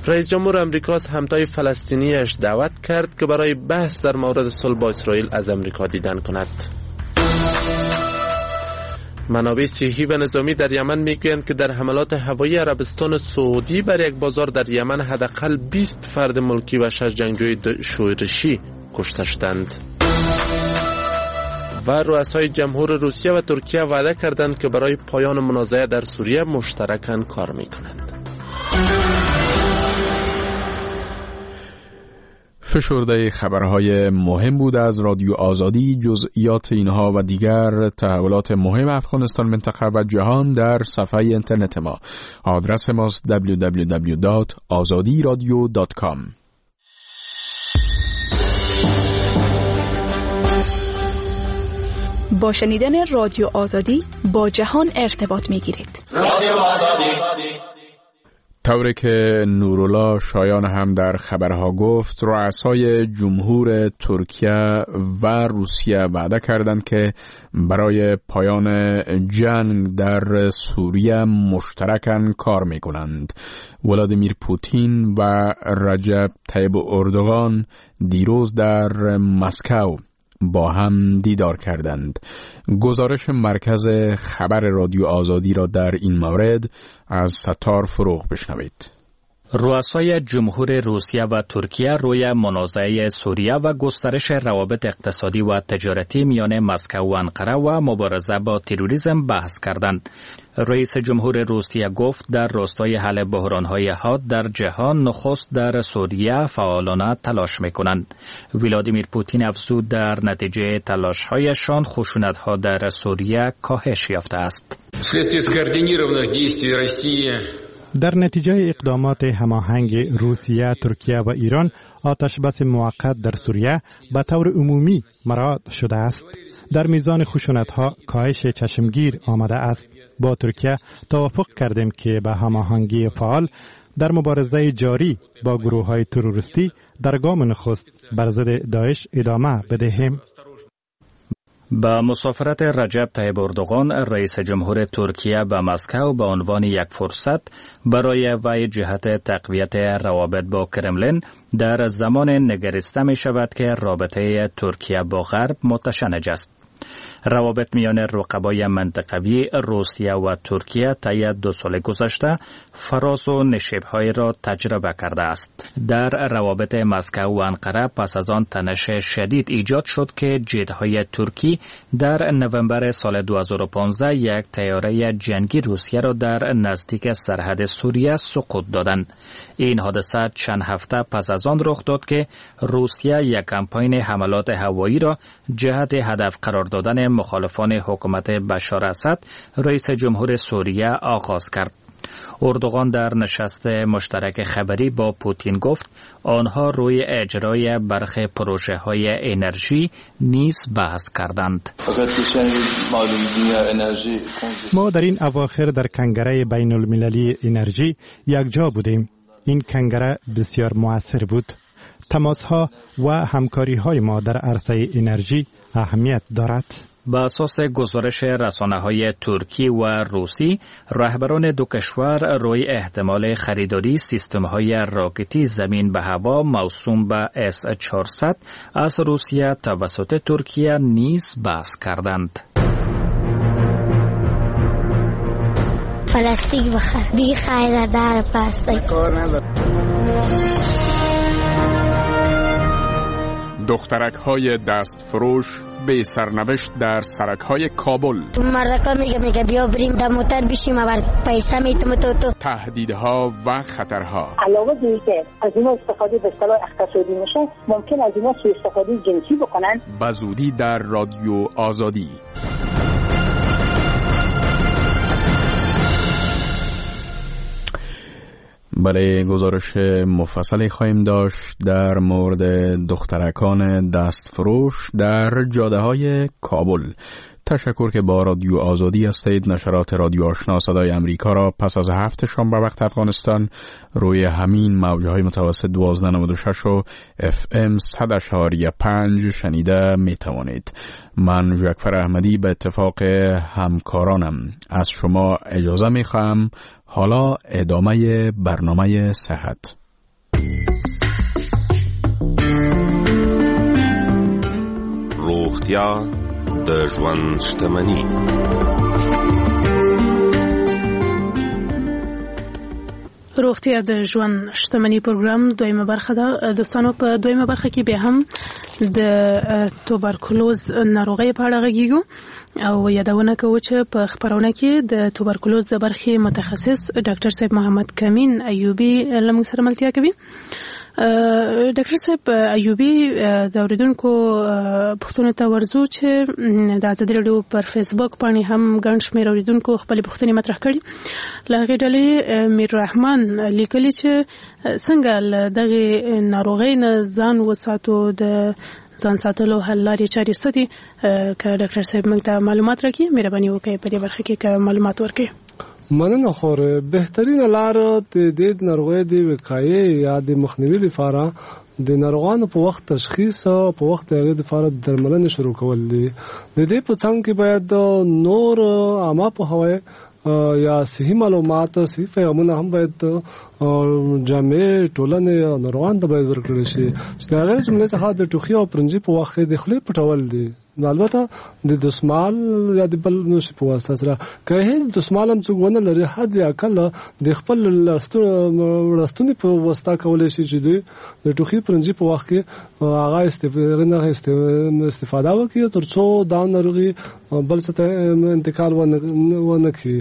S3: رئیس جمهور امریکا از همتای فلسطینیش دعوت کرد که برای بحث در مورد صلح با اسرائیل از امریکا دیدن کند. منابع صحی و نظامی در یمن میگویند که در حملات هوایی عربستان سعودی بر یک بازار در یمن حداقل بیست فرد ملکی و شش جنگجوی شورشی کشته شدند. و رؤسای جمهور روسیه و ترکیه وعده کردند که برای پایان منازعه در سوریه مشترکاً کار میکنند.
S2: فشرده خبرهای مهم بود از رادیو آزادی. جزئیات اینها و دیگر تحولات مهم افغانستان، منطقه و جهان در صفحه اینترنت ما. آدرس ماست دبلیو دبلیو دبلیو دات آزادی رادیو دات کام.
S15: با شنیدن رادیو آزادی با جهان ارتباط میگیرید.
S16: رادیو آزادی.
S2: طوری که نورولا شایان هم در خبرها گفت، رؤسای جمهور ترکیه و روسیه وعده کردند که برای پایان جنگ در سوریه مشترکاً کار میکنند. ولادیمیر پوتین و رجب طیب اردوغان دیروز در مسکو با هم دیدار کردند. گزارش مرکز خبر رادیو آزادی را در این مورد از ستار فروغ بشنوید.
S8: رؤسای جمهور روسیه و ترکیه روی منازعه سوریه و گسترش روابط اقتصادی و تجارتی میان مسکو و انقره و مبارزه با تروریسم بحث کردند. رئیس جمهور روسیه گفت در راستای حل بحران‌های حاد در جهان نخست در سوریه فعالانه تلاش می‌کنند. ولادیمیر پوتین افزود در نتیجه تلاش‌هایشان خشونت‌ها در سوریه کاهش یافته است.
S9: در نتیجه اقدامات هماهنگ روسیه، ترکیه و ایران، آتش بس موقت در سوریه به طور عمومی مراعات شده است. در میزان خشونت‌ها کاهش چشمگیر آمده است. با ترکیه توافق کردیم که به هماهنگی فعال در مبارزه جاری با گروه‌های تروریستی در گام نخست بر ضد داعش ادامه بدهیم.
S8: با مسافرت رجب طیب اردوغان رئیس جمهور ترکیه به مسکو به عنوان یک فرصت برای وی جهت تقویت روابط با کرملین در زمان نگریسته می شود که رابطه ترکیه با غرب متشنج است. روابط میان رقبای منطقوی روسیه و ترکیه طی دو سال گذشته فراز و نشیب‌های را تجربه کرده است. در روابط مسکو و انقره پس از آن تنش شدید ایجاد شد که جت‌های ترکی در نوامبر سال دو هزار و پانزده یک طیاره جنگی روسیه را در نزدیک سرحد سوریه سقوط دادند. این حادثه چند هفته پس از آن رخ داد که روسیه یک کمپاین حملات هوایی را جهت هدف قرار دادن مخالفان حکومت بشار اسد رئیس جمهور سوریه آغاز کرد. اردوغان در نشست مشترک خبری با پوتین گفت آنها روی اجرای برخی پروژه های انرژی نیز بحث کردند.
S9: ما در این اواخر در کنگره بین المللی انرژی یک جا بودیم. این کنگره بسیار مؤثر بود. تماس ها و همکاری های ما در عرصه انرژی اهمیت دارد.
S8: به اساس گزارش رسانه‌های ترکی و روسی، رهبران دو کشور روی احتمال خریداری سیستم‌های راکتی زمین به هوا موسوم به اس چهارصد از روسیه توسط ترکیه نیز بحث کردند.
S17: پلاستیک بخر، بی خیر دار پلاستیک.
S2: دخترک های دست فروش بی سرنوشت در سرک‌های کابل.
S17: مردکا میگه میگه بیا بریم در موتر بشیم و پیسه میتم تو تو.
S2: تهدیدها و خطرها.
S16: علاوه بر اینکه از اینا استفاده به اصطلاح اقتصادی میشه، ممکن از اینا سوء استفاده جنسی بکنن.
S2: به زودی در رادیو آزادی. برای گزارش مفصلی خواهیم داشت در مورد دخترکان دستفروش در جاده های کابل. تشکر که با رادیو آزادی هستید. نشرات رادیو آشنا صدای امریکا را پس از هفت شام به وقت افغانستان روی همین موجهای متوسط دوازده نود و شش و اف ام صد و پنج شنیده می توانید. من جعفر احمدی به اتفاق همکارانم از شما اجازه می خواهم. حالا ادامه برنامه صحت.
S18: روغتیا د ژوند شتمني.
S19: روغتیا د ژوند شتمني پروګرام دویمه برخه ده. دوستانو په دویمه برخه کې به هم د توبرکلوز ناروغۍ په اړه غږیږو او یادونه کوو چې په خبرونه کې د توبرکلوز د برخې متخصص ډاکټر صاحب محمد کمین ایوبي له موږ سره ملتیا کوي. ډاکټر صاحب ایوبي د اوریدونکو پوښتنو ته ورځو چې د ازادي راډیو پر فیسبوک باندې هم ګڼ شمېر اوریدونکو خپلې پوښتنې مطرح کړي. له هغې ډلې میر رحمان لیکلي چې څنګه له دغې ناروغۍ نه ځان وساتو، د ځان ساتلو حل لارې چارې څه دي؟ که ډاکټر صاحب موږ ته معلومات راکړي مهرباني وکړئ په دې برخه کې که معلومات ورکړي.
S20: مننه خور. بهترینه لار د دې ناروغۍ د وقایې یا د مخنیوي لپاره د ناروغانو په وخت تشخیص او په وخت د هغې لپاره درملنې شروع کول دي. د دې په څنګ کې باید نور عامه پوهاوی یا صحي معلومات، صحي پیغامونه هم باید جامعې، ټولنې او ناروغانو ته باید ورکړل شي چې د هغې جملې څخه د ټوخي او پرنجي په وخت کې د خولې پټول دي. البته د دستمال یا د بل نوشي په واسطه سره، که هیڅ دستمال هم څوک ونه لري حد اقل د خپل لستوني په واسطه کولی شي چې دوی د ټوخي پرنجي په وخت کې هغه استفاده وکړي ترڅو دا ناروغي بل څه ته انتقال ونه کړي.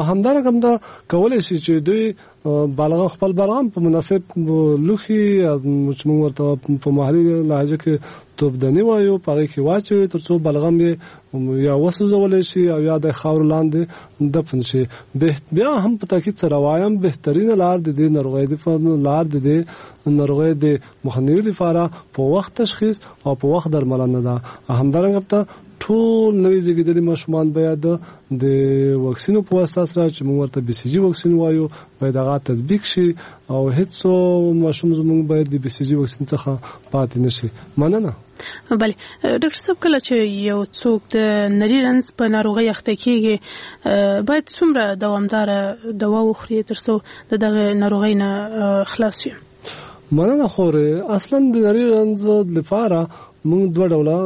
S20: همدارنګه هم دا کولی شي چې دوی بلغم خپل بلغم په مناسب لوښي چې موږ ورته په محلي لهجه کې توپدني وایو په هغې کې واچوي ترڅو بلغم یې یا وسوځولی شي او یا د خاورو لاندې دفن شي. بیا هم په تاکید سره وایم بهترینه لار د دې ناروغۍ لار د دې ناروغۍ د مخنیوي لپاره په وخت تشخیص او په وخت درملنه ده. همدارنګه ته ټول نوي زیږېدلي ماشومان باید د واکسینو په واسطه سره چې موږ ورته بي سي جي واکسین وایو باید هغه تطبیق شي او هیڅ ماشوم زموږ باید د بي سي جي واکسین څخه پاتې نشي. مننه.
S19: بله ډاکټر صاحب، کله چې یو څوک د نري رنځ په ناروغۍ اخته کیږي باید څومره دوامداره دوا وخوري ترڅو د دغه ناروغۍ نه خلاص شي؟
S20: مننه خورې. اصلا د نري رنځ لپاره موږ دوه ډوله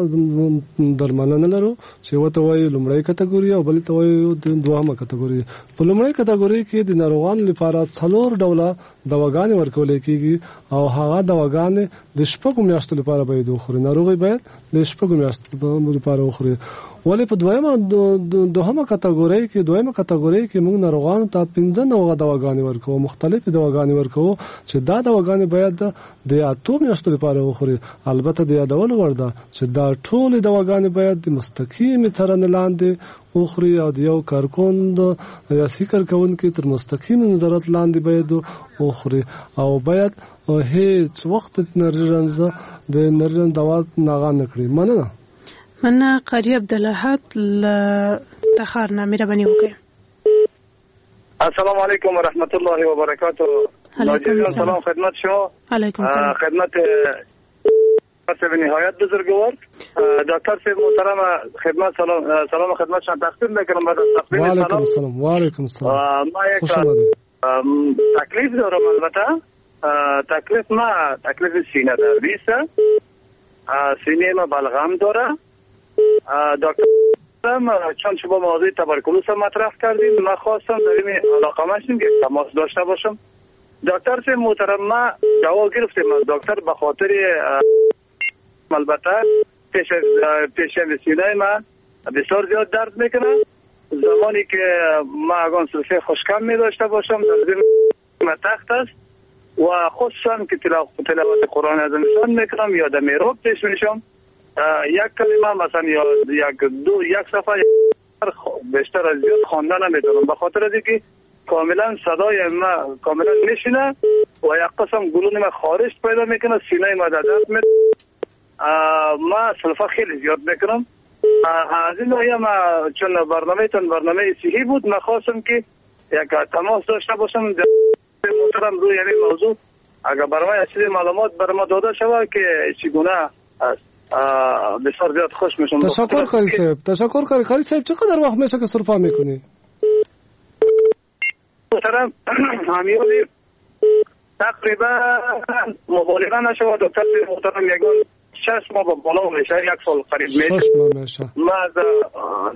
S20: درملنه لرو چې یوه ته وایو لومړۍ کتګوري او بلې ته وایو دوهمه کتګوري. په لومړۍ کتګوري کې د ناروغانو لپاره څلور ډوله دواګانې ورکول کېږي او هغه دواګانې د شپږو میاشتو لپاره باید وخوري. ناروغي باید د شپږو میاشتو لپاره وخوري. ولې په دویمه دوهمه کتګوري کې دویمه کتګوري کې موږ ناروغانو ته پنځه نوعه دواګانې ورکوو، مختلفې دواګانې ورکوو چې دا دواګانې باید د اتو میاشتو لپاره وخوري. البته د یادولو وړ ده چې دا ټولې دواګانې باید د مستقیمې څارنې لاندې وخوري او د یو کارکون یا صحي کارکوونکي تر مستقیم نظارت لاندې باید وخوري او باید هیڅ وخت د نري رنځ د نري رنځ دوا ناغه نه کړي. مننه.
S19: مننه قاري عبدالاحد له تخار نه مهرباني وکړئ.
S21: السلام علیکم و رحمت الله و برکاته. علیکم سلام خدمت شما.
S19: علیکم سلام.
S21: خدمت به نهایت بزرگوار دکتر صاحب محترم خدمت سلام سلام خدمت شما تقدیم میکنم. بعد از تقدیم
S20: و علیکم السلام. و علیکم السلام.
S21: ما یک تکلیف دارم. البته تکلیف ما تکلیف سینه دردی است. سینه ما بلغم داره. دکتر چون شما موضوع تبرکلوز مطرح کردیم من خواستم در این علاقه مشیم که تماس داشته باشم. دکتر صاحب محترم ما دوا گرفتیم از دکتر به خاطر البته پیش پیش سینه ما بسیار زیاد درد میکنه. زمانی که ما اگان سلفه خوشکم می داشته باشم در ما تخت است و خصوصا که تلاوت قرآن از انسان میکنم یا در میراب پیش میشم، یک کلمه مثلا یا یک دو یک صفحه بیشتر از زیاد خواندن نمیتونم، به خاطر از اینکه کاملا صدای ما کاملا میشینه و یک قسم گلون ما خارش پیدا میکنه، سینه ما درد می ما سلفه خیلی زیاد میکنم. از این ناحیه ما چون برنامه تون برنامه صحی بود، ما خواستم که یک تماس داشته باشم محترم روی همین موضوع، اگر برای ما چیز معلومات بر ما داده شود که چگونه است بسیار زیاد خوش میشم.
S20: تشکر قاری صاحب، تشکر قاری. قاری صاحب چقدر وقت میشه که سرفه میکنی؟
S21: محترم همیولی تقریبا مبالغه نشود دکتر محترم یگان شش ماه بالا میشه، یک سال قریب میشه.
S20: شش ماه میشه.
S21: ما از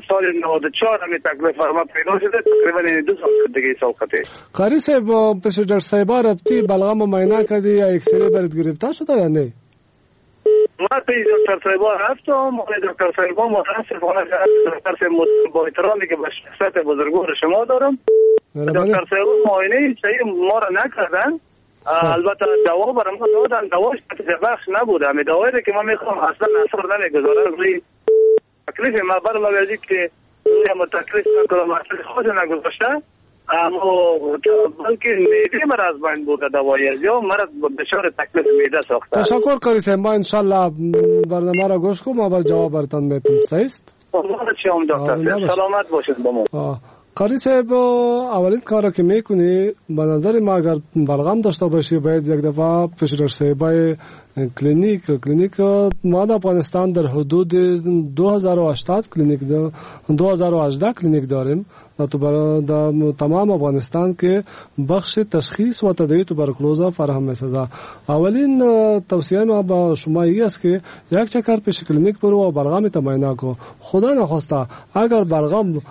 S21: سال نود و چهار همین تکلیف ما پیدا شده، تقریبا دو سال دیگه سال خطه.
S20: قاری صاحب پیش ډاکټر صاحب رفتی بلغم معاینه کردی یا اکسری برات گرفته شده یا نه؟
S21: ما پیش دکتر صاحب رفتم، دکتر صاحب متاسفانه دکتر صاحب با احترامی که به شخصیت بزرگوار شما دارم، دکتر صاحب معاینه صحیح ما را نکردن. البته دوا برام دادن، دواش بخش نبود. همه دوایی که ما میخوام اصلا اثر نمیگذاره روی تکلیف ما، برای از که روی هم تکلیف نکنم اصلا خود نگذاشته، اما بلکه معده مرا از بین برده دوایی یا مرا بسیار تکلیف معده ساخته.
S20: تشکر قاری صاحب، ما انشالله برنامه را گوش کنم و بر جواب براتان میتم. صحیح است؟
S21: دکتر سلامت باشید با ما.
S20: قاری صاحب اولین کار که میکنی به نظر ما اگر بلغم داشته باشی باید یک دفعه پیش دکتر صاحبای کلینیک کلینیک ما در افغانستان در حدود دو هزار و هشتاد کلینیک دو هزار و هجده کلینیک داریم در تمام افغانستان که بخش تشخیص و تداوی توبرکلوز فراهم می‌سازد. اولین توصیه ما با شما این است که یک چکر پیش کلینیک برو و بلغم معاینه کو. خدا نخواسته اگر بلغم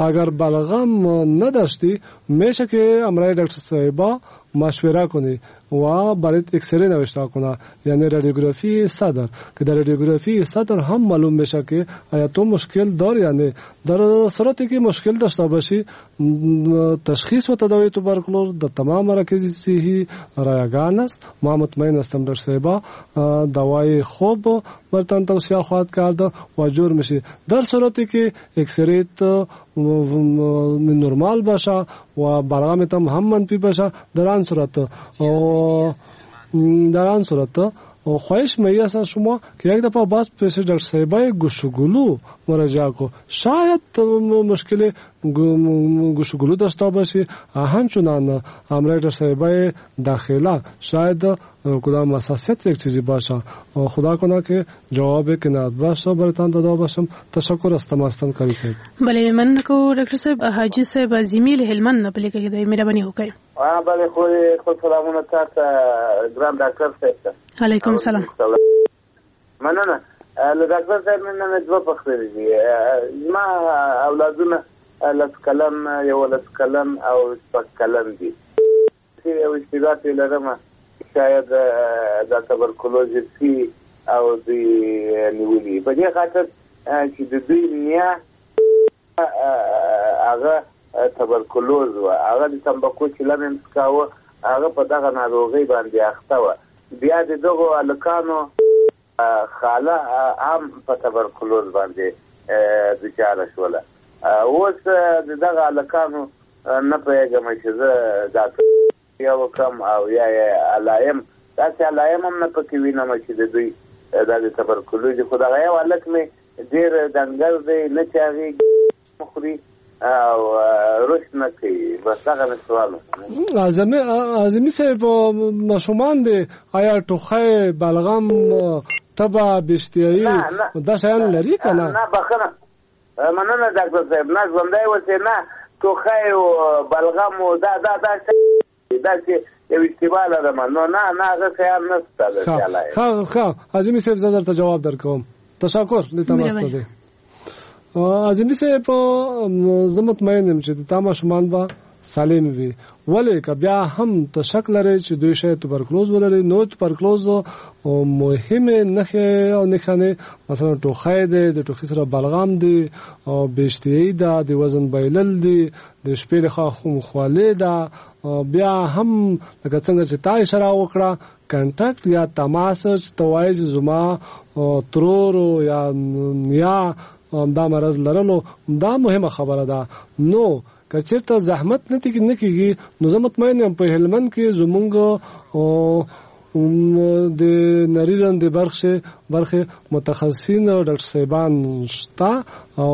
S20: اگر بلغم نداشتی میشه که امرای دکتر صاحبا مشوره کنی و برات اکسری نوشته کنه، یعنی رادیوگرافی صدر، که در رادیوگرافی صدر هم معلوم میشه که آیا تو مشکل داری یا نه. در صورتی که مشکل داشته باشی تشخیص و تداوی توبرکلوز در تمام مراکز صحی رایگان است. ما مطمئن هستم دکتر صاحبا دوای خوب برتان توصیه خواهد کرد و جور میشی. در صورتی که اکسریت نرمال باشه و بلغمت هم منفی باشه، در آن صورت در آن صورت خواهش می است شما که یک دفعه باز پیش دکتر صاحبای گوش و گلو مراجعه کو. شاید مشکل گوش و گلو داشته باشی، همچنان همراه دکتر صاحبای داخله شاید کدام حساسیت یک چیزی باشه. خدا کنه که جواب قناعت باشه براتان داده باشم. تشکر از تماستان قاری صاحب.
S19: بله مننه کوو ډاکټر صاحب. حاجي صاحب عظیمي له هلمند نه په لیکه کې دی، مهرباني وکړئ.
S5: بله خو خپل سلامونه تاسو ګران ډاکټر صاحب ته.
S19: علیکم سلام.
S5: مننه له ډاکټر صاحب نه مې دوه پوښتنې دي. زما اولادونه لس کلن، یولس کلن او شپږ کلن دي. یو اشتباه پرې لرم، شاید دا تبرکلوز سي او دوی نیولي، په دې خاطر چې د دوی نیا هغه تبرکلوز وه، هغه د تمباکو چلم یې څکاوه، هغه په دغه ناروغۍ باندې اخته وه. بیا د دغو هلکانو خاله هم په تبرکلوز باندې دچاره شوله. اوس د دغه هلکانو نه پوهېږم چې زه دا یا وکړم او یا یې علایم، داسې علایم هم نه پکې وینم چې د دوی دا د تبرکلوز. خو دغه یو هلک مې ډېر ډنګر دی، نه چاغېږي، خوري او رشد نه کوي. بس دغه مې سوال و.
S20: اعظمي اعظمي صاحب ماشومان دي، آیا ټوخی، بلغم، تبه، بشتیایي دا شیان لري که نه؟
S5: نه بخښنه، مننه ډاکټر صاحب، نه ژوندی اوسې. نه ټوخی او بلغم او دا دا دا داسې یو اشتباه لرم، نو نه نه هغه شیان نشته.
S20: ښه ښه عظیمي صاحب زه درته جواب درکوم. تشکر له تماس ته دی. عظیمي صاحب زه مطمئن یم چې د تا ماشومان به سالم وي. ولې که بیا هم ته شک لرې چې دوی شاید توبرکلوز ولري، نو توبرکلوز مهمې نښې او نښانې مثلا ټوخی دی، د ټوخي سره بلغم دی، او بې اشتهايي ده، د وزن بایلل دي، د شپې لخوا خولې ده. بیا هم لکه څنګه چې تا اشاره وکړه، contact یا تماس چې ته وایې چې زما ترور یا نیا دا مرض لرلو، دا مهمه خبره ده. نو که چېرته زحمت نه نه کېږي، نو زه مطمئن یم په هلمند کې زمونږ د نري رنځ د برخې برخې متخصصین او ډاکټر صاحبان شته، او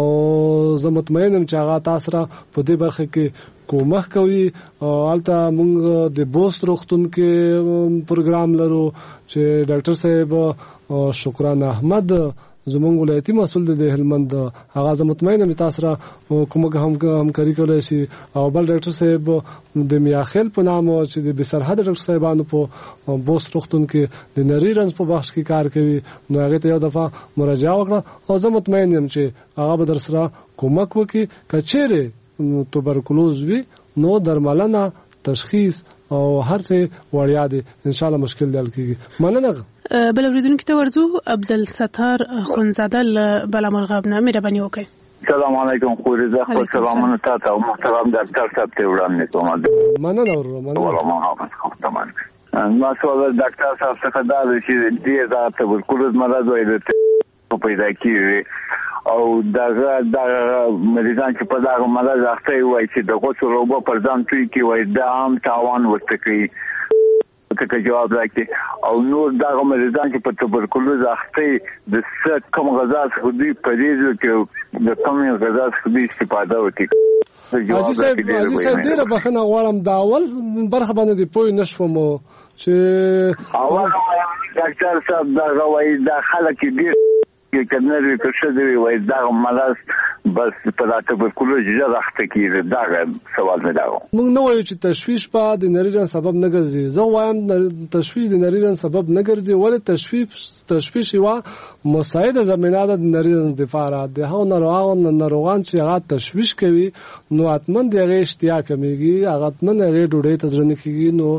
S20: زه مطمئن یم چې هغه تاسو سره په دې برخه کې کومک کوي. او هلته موږ د بوست روغتون کې پروګرام لرو چې ډاکټر صاحب شکران احمد زمونږ ولایتي مسؤل دی د هلمند، هغه زه مطمئن یم تاسو سره کومک هم همکاري کولای شي. او بل ډاکټر صاحب د میاخیل په نامه چې د بې سرحده ډاکټر صاحبانو په بوست روغتون کې د نري رنځ په بخش کې کار کوي، نو هغې ته یو دفعه مراجعه وکړه او زه مطمئن یم چې هغه به در سره کومک وکړي. که چیرې توبرکلوز وي نو درملنه، تشخیص او هر څه وړیا دي، ان شاء الله مشکل دی حل کیږي. مننه.
S19: بل اوریدونکي ته ورځو، عبدالستار خونزاده له بالامرغاب نه، مهرباني وکړئ.
S4: سلام علیکم خورې، زه خپل سلامونه تا ته او محترم ډاکټر صاحب ته وړاندې کوم.
S20: مننه وروره، مننه.
S4: محافظ خدمت. ما سوال ډاکټر صاحب څخه دا دی چې ډېر دا تبرکلوز مرض وایي پیدا کیږي، او دغه دغه مریضان چې په دغه مرض اخته وي وایي چې د غسل اوبه پر ځان توی کړي، وایي دا هم تاوان ورته کوي، ته جواب راکړي. او نور دغه مریضان چې په تبرکلوز اخته د څه کوم غذا څخه دوی پرهیز وکړي، د کومې غذا څخه دوی استفاده وکړي؟
S20: حاجي صاحب، حاجي صاحب ډېره بښنه غواړم، دا اول برخه باندې دې پوه نه شوم چې
S4: اول ډاکټر صاحب دغه وایي دا خلک ډېر که نر وي که ښځه وي وایي دغه مرض بس په دا تبرکلوز ژر اخته کېږي. دغه سوال مې دا و.
S20: موږ نه وایو چې تشویش به د نري رنځ سبب نه ګرځي، زه وایم تشویش د نري رنځ سبب نه ګرځي. ولې تشویش تشویش یوه مساعده زمینه ده د نري رنځ دپاره. د هغو ناروغان ناروغان چې هغه تشویش کوي نو حتما د هغې اشتیا کمېږي، هغه حتما د هغې ډوډۍ ته زړه نه کېږي، نو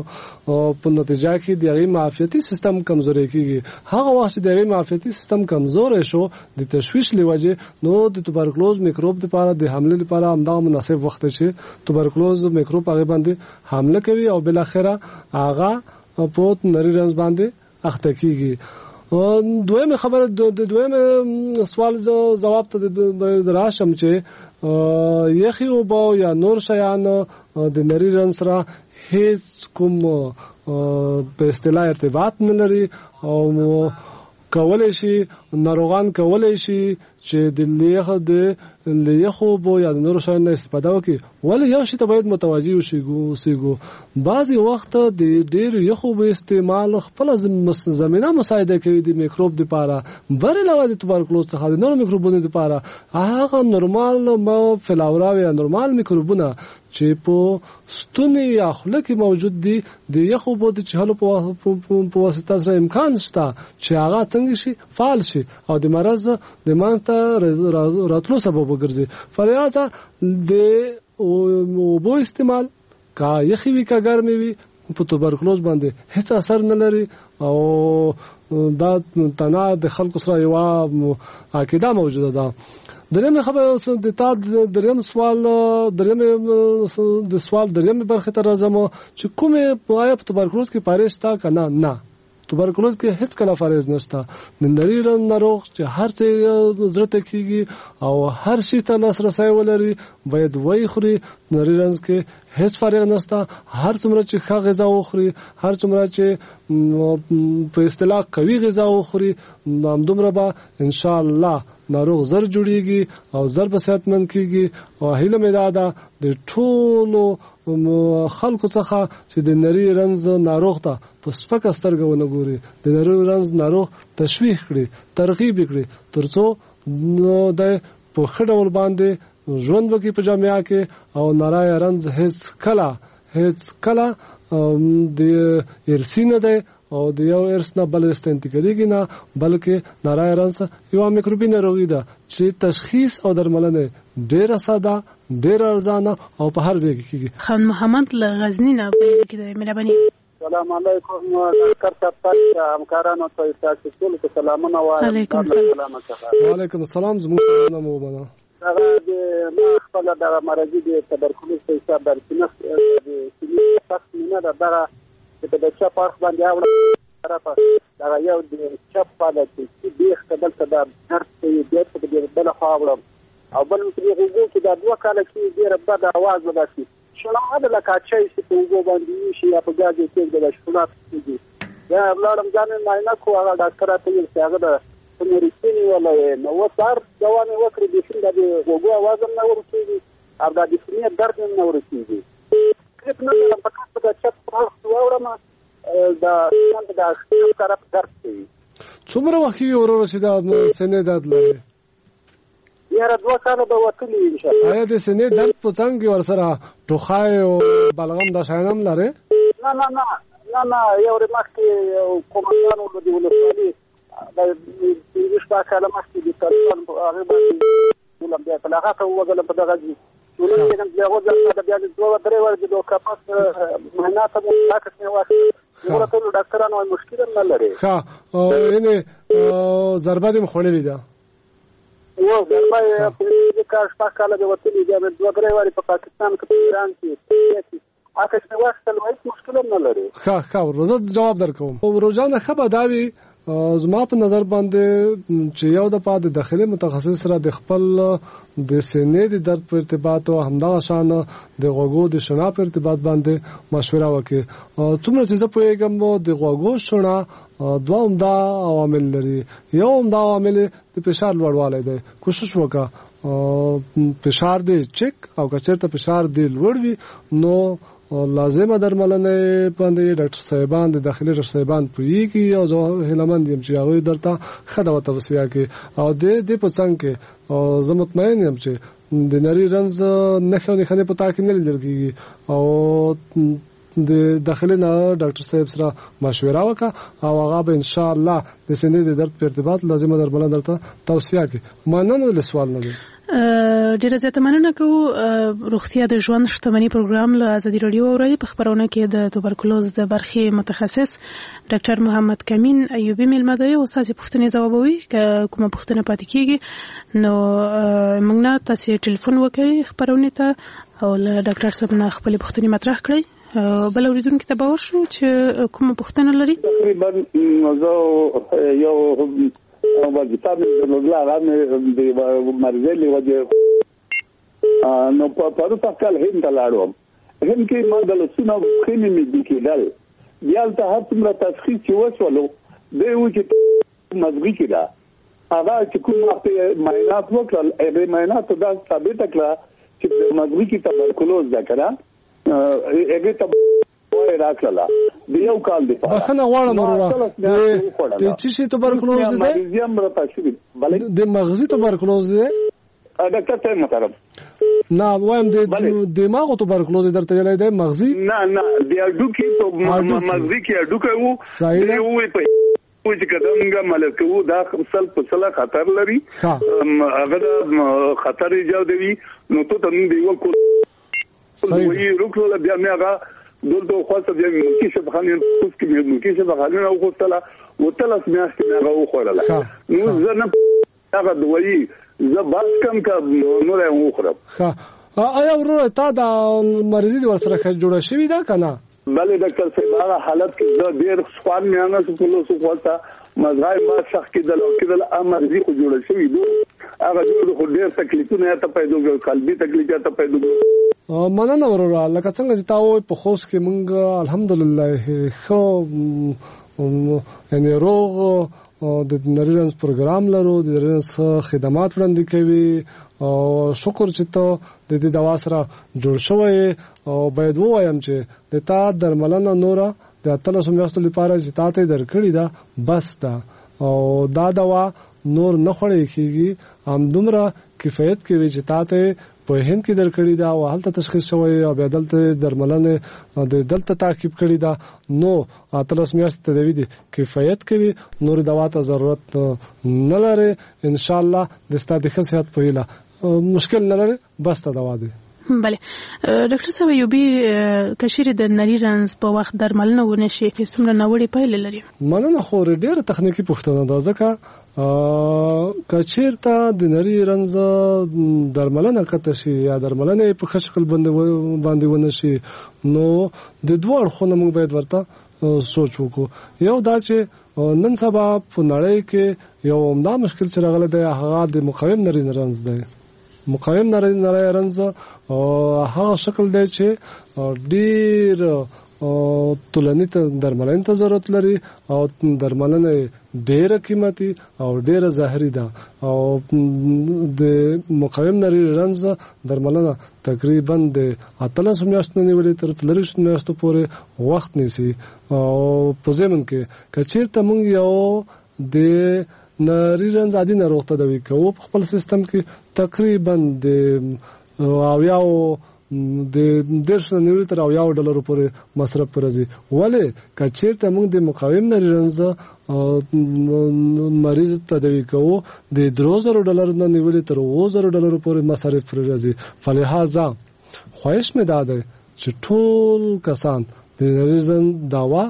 S20: په نتیجه کې د هغې معافیتي سیستم کمزوری کېږي. هغه وخت چې د هغې معافیتي سیستم کمزوری شو د تشویش له وجې، نو د توبرکلوز میکروب لپاره د حملې لپاره همدغه مناسب وخت دی چې توبرکلوز میکروب هغې باندې حمله کوي او بالاخره هغه په نري رنځ باندې اخته کېږي. دویمه خبره، د دویمه سوال ځواب ته راشم چې یخې اوبه یا نور شیان د نري رنځ سره هیڅ کوم په اصطلاح ارتباط نه لري، او کولی شي ناروغان کولی شي چې د لیخ د یخو اوبو یا د نورو شیانو نه استفاده وکړي. ولې یو شي ته باید متوجه اوسېږو، بعضې وخت د ډېرو یخو اوبو استعمال خپله زمینه مساعده کوي د میکروب دپاره، بر علاوه د توبرکلوز څخه د نورو میکروبونو دپاره. هغه نورمال فلاورا یا نورمال میکروبونه چې په ستوني یا خوله کې موجود دي، د یخو اوبو د چښلو په واسطه سره امکان شته چې هغه څنګه شي فعال شي او د مرض د منځته راتلو سبب وګرځي. فلهذا د اوبو استعمال که یخې وي که ګرمې وي په توبرکلوز باندې هیڅ اثر نه لري، او دا تنها د خلکو سره یوه عقیده موجوده ده. دریم خبره د تا دریم سوال، دریم د سوال دریم برخې ته راځم چې کومې آیا په توبرکلوز کې پرهیز شته که نه؟ نه، توبرکلوز کې هیڅ کله پرهیز نشته. د نري رنځ ناروغ چې هر څه زړه ته کېږي او هر شي ته لاسرسی ولري باید ویې خوري. نري رنځ کې هیڅ فرق نشته، هر څومره چې ښه غذا وخوري، هر څومره چې په اصطلاح قوي غذا وخوري، همدومره به ان شاء الله ناروغ زر جوړیږي او زر به صحتمند کېږي. او هیله مې دا ده د ټولو خلکو څخه چې د نري رنځ ناروغ ته په سپکه سترګه ونه ګوري، د نري رنځ ناروغ تشویق کړي، ترغیب کړي، ترڅو د په ښه ډول باندې ژوند وکړي په جامعه کې. او نری رنځ هیڅ کله هیڅ کله د ارثي نه دی او د یو ارث نه بل ارث ته انتقالېږي نه، بلکې نری رنځ یوه میکروبي ناروغي ده چې تشخیص او درملنه ډیره ساده، ډیره ارزانه او په هر ځای کې کیږي.
S19: خان محمد له غزني نه په کې دی، مهرباني.
S7: سلام علیکم ډاکټر صاحب، تاسو همکارانو ته تاسو ټول ته سلامونه وایم.
S19: علیکم السلام.
S20: وعلیکم السلام، زموږ سلامونه مو ومنه.
S7: هغه د ما خپله دغه مرضي د تبرکلوز په حساب باندې د سینې سخت مینه ده، دغه چې په د چپ اړخ باندې اوړه طرفه دغه یو د چپ پاله چې بیخ ته دلته دا درد کوي، بیا په دې بله خوا اوړم، او بل مې په دې غوږو کې دا دوه کاله کې ډېره بده اواز به داسې شړا ده لکه چای چې په اوبو باندې وشي یا په ګاز یې کېږده دا شړا کېږي. بیا لاړم ځان مې معاینه کړو، هغه ډاکټر راته وویل چې هغه د مريض نیولی یې، نو اوس هر دوا مې وکړې بیخي دا د غوږو اواز هم نه ورکېږي او دا د سینې درد مې هم نه ورکېږي. تکلیف نه لرم، فقط په دا چپ اړخ چې واوړم دا دا چپ طرف درد کوي.
S20: څومره وخت کېږي وروره چې دا سینې درد لرې؟
S7: یاره دوه کاله به وتلي ان شاء الله.
S20: آیا د سینې درد په څنګ کې ورسره ټوخی او بلغم دا شیان هم لرې؟
S7: نه نه نه نه نه، یو ورځ مخکې یو قومندان و د ولسوالي د پنځه شپږ کاله مخکې د طالبانو په هغې باندې ولم بیا په هغه ته ووزلم په دغه ځای ولېږم، بیا وځم بیا دوه درې ورځې د کپس معاینه ته مو عکس مې واخیست، نور ټول ډاکټرانو وایي مشکل هم نه لري.
S20: ښه، یعنې ضربه دې هم خوړلې ده؟
S7: و ضربه یې پنځه کال شپږ کاله دې وتلي، بیا مې دوه درې وارې په پاکستان کې په ایران کې عکس مې واخیستل، هېڅ مشکل هم نه لري.
S20: ښه ښه ورور، زه جواب درکوم. ورور جانه، ښه به دا وي زما په نظر باندې چې یو دفعه د داخلي متخصص سره د خپل د سینې د درد په ارتباط او همدغه شان د غوږو د شنا په ارتباط باندې مشوره وکړي. څومره چې زه پوهېږم د غوږو شنا دوه عمده عوامل لري. یو عمده عامل د فشار لوړوالی دی. کوشش وکړه فشار دې چک، او که چېرته فشار دې لوړ وي نو لازمه درملنه باندې ډاکټر صاحبان د داخلي ډاکټر صاحبان پوهېږي، او زه هیله مند یم چې هغوی درته ښه دوا توصیه کړي. او د دې په څنګ کې زه مطمئن یم چې د نري رنځ نښې او نښانې په تا کې نه لیدل کېږي، او د داخلي نه ډاکټر صاحب سره مشوره وکړه او هغه به ان شاء الله د سینې د درد په ارتباط لازمه درملنه درته توصیه کړي. مننه له سوال نه.
S19: ډیره زیاته مننه کوو. روغتیا د ژوند شتمني پروګرام له ازادي راډیو اورئ. په خپرونه کې د توبرکلوز د برخې متخصص ډاکټر محمد کمین ایوبي میلمه دی او ستاسې پوښتنې ځوابوي. که کومه پوښتنه پاتې کیږي نو موږ نه تاسې ټلیفون وکړئ خپرونې ته او له ډاکټر صاحب نه خپلې پوښتنې مطرح کړئ. بل اوریدونکي ته باور شو چې کومه پوښتنه لري.
S22: تقریبا زه یو وظیفه مې درلودله، هغه مې د مرضۍ له وجې نو په پرون کال هند ته لاړ وم. هند کې ما د لاسونه او پښې مې مې کېدل، بیا هلته هر څومره تشخیص چې وشولو دی و چې مزغي کې ده. هغه چې کوم وخت معاینات وکړل، هغې معایناتو دا ثابته کړه چې د مزغي کې تبرکلوز ده که نه، هغې ته راکړله د یو کال دپاره.
S20: بخښنه غواړم وروره، د څه شي توبرکلوز دی؟ د مغزي توبرکلوز دی
S22: ډاکټر صاحب محترم؟
S20: نه وایم د دماغو توبرکلوز درته ویلی دی مغزي؟
S22: نه نه، د هډوکي په مغزي کې هډوکی و، دی ووایي په چې که دا موږ عملیات کوو دا سل په سله خطر لري، هغه دا خطر ایجادوي، نو ته ته موږ د یوه کول وایي وکړله. بیا مې هغه دلته وخواسته، بیا مې ملکي شفاخانې خوست کې مې ملکي شفاخانې نه وغوښتله، اتلس میاشتې مې هغه وخوړله. نو زه نه هغه دوایي زه بس کم که نوره یې وخورم.
S20: ښه، آیا وروره تا دا مرضي دې ورسره ښه جوړه شوې ده که نه؟
S22: بله ډاکټر صاحب، هغه حالت کې زه ډېر خوان مې نه شو کولای، خواسته مزغای ما سخت کېدل او کېدل، مرضي خو جوړه شوې ده، هغه جوړ خو ډېر تکلیفونه یې ته پیدا کړل، قلبي تکلیف یې ته پیدا کړل.
S20: مننه وروره، لکه څنګه چې تا وویل په خوست کې موږ الحمدلله ښه یعنې روغ د نري رنځ پروګرام لرو، د نري رنځ خدمات وړاندې کوي، او شکر چې ته د دې دوا سره جوړ شوی. او باید ووایم چې د تا درملنه نوره د اتلسو میاشتو لپاره چې تا ته یې درکړې ده بس ده، او دا دوا نور نه خوړل کېږي، همدومره کفایت کوي چې تا ته په هند کې درکړې ده او هلته تشخیص شوی او بیا دلته درملنه د دلته تعقیب کړې ده، نو اتلس میاشتې تداوي دي کفایت کوي، نور دوا ته ضرورت نه لري. ان شاء الله د ستا د ښه صحت په هیله. مشکل نه لري، بس ته دوا دی.
S19: بله ډاکټر صاحب ایوبي، که چیرې د نري رنځ په وخت درملنه ونه شي څومره ناوړې پایلې لري؟
S20: مننه خورې، ډېره تخنیکي پوښتنه ده، ځکه که چیرته د نري رنځ درملنه قطع شي یا درملنه یې په ښه شکل باندې ونه شي، نو د دوو اړخونو موږ باید ورته سوچ وکړو. یو دا چې نن سبا په نړۍ کې یو عمده مشکل چې راغلی دی هغه د مقاوم نري رنځ دی. مقاوم نری نری رنځ هغه شکل دی چې ډیر ټولنې ته درملنې ته ضرورت لري او درملنه ډیره قیمتي او ډیره زهري ده، او د مقاوم نری رنځ درملنه تقریبا د اتلسو میاشتو نه نیولې تر څلوېښتو میاشتو پورې وخت نیسي. او په ضمن کې که چیرته موږ یو د نری رنځ عادي ناروغ ته تداوي کوو په خپل سیستم کې تقریبا د اویاو د دېرش نه نیولې تر اویاو ډالرو پورې مصرف پر راځي. ولې که چیرته موږ د مقاوم نري رنځ مریض تداوي کوو د درو زرو ډالرو نه نیولې تر اوو زرو ډالرو پورې مصرف پر راځي. فلهذا خواهش مې دا دی چې ټول کسان د نري رنځ دوا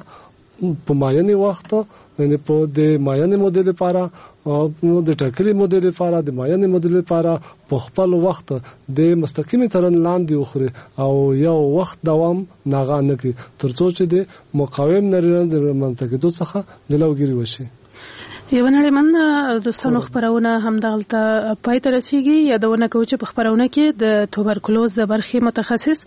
S20: په معینې وخت، یعنی په د معینې مودې لپاره، د ټاکلې مودې لپاره، د معینې مودې لپاره په خپل وخت د مستقیمې څارنې لاندې وخوري او یو وخت دوام ناغه نه کړي، ترڅو چې د مقاوم نري رنځ د رامنځته کېدو څخه جلوګیري وشي.
S19: یوه نړۍ مننه دوستانو، خپرونه همدغلته پای ته رسیږي. یادونه کوو چې په خپرونه کې د توبرکلوز د برخې متخصص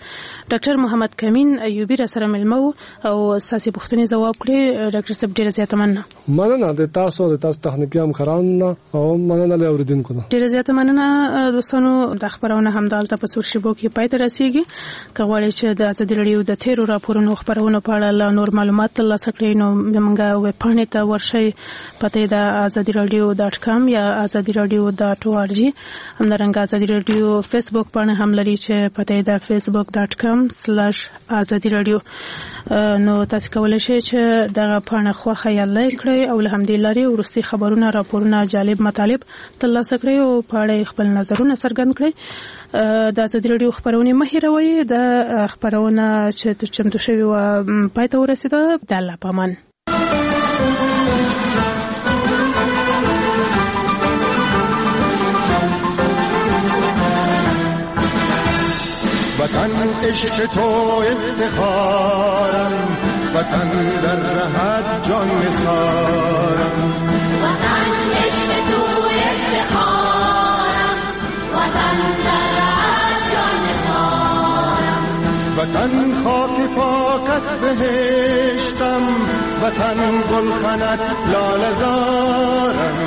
S19: ډاکټر محمد کمین ایوبي را سره مېلمه و او ستاسې پوښتنې ځواب کړې. ډاکټر صاحب ډېره زیاته مننه.
S20: مننه د تاسو د تاسو تخنیکي همکارانو نه او مننه له اورېدونکو نه.
S19: ډېره زیاته مننه دوستانو، دا خپرونه همدغلته په څو شېبو کې پای ته رسیږي. که غواړئ چې د ازادي راډیو د تېرو راپورونو خپرونو په اړه لا نور معلومات ترلاسه کړئ نو زموږ ویبپاڼې ته ورشئ، پته د ازادي راډیو ډاټ کام یا ازادي راډیو ډاټ او آر جی. همدارنګه ازادي راډیو فیسبوک پاڼه هم لري چې پته یې ده فیسبوک ډاټ کام سلاش ازادي راډیو. نو تاسو کولی شئ چې دغه پاڼه خوښه یا لایک کړئ او له همدې لارې وروستي خبرونه، راپورونه، جالب مطالب ترلاسه کړئ او په اړه یې خپل نظرونه څرګند کړئ. د ازادي راډیو خپرونې مه هېروئ. د خپرونه چې چمتو شوې وه پای ته ورسېده. د الله په امان.
S1: وطن عشق تو افتخارم، وطن در رهت جان نثارم.
S6: وطن عشق تو افتخارم، وطن در رهت جان نثارم.
S1: وطن خاک پاکت بهشتم، وطن گلخنت لاله زارم.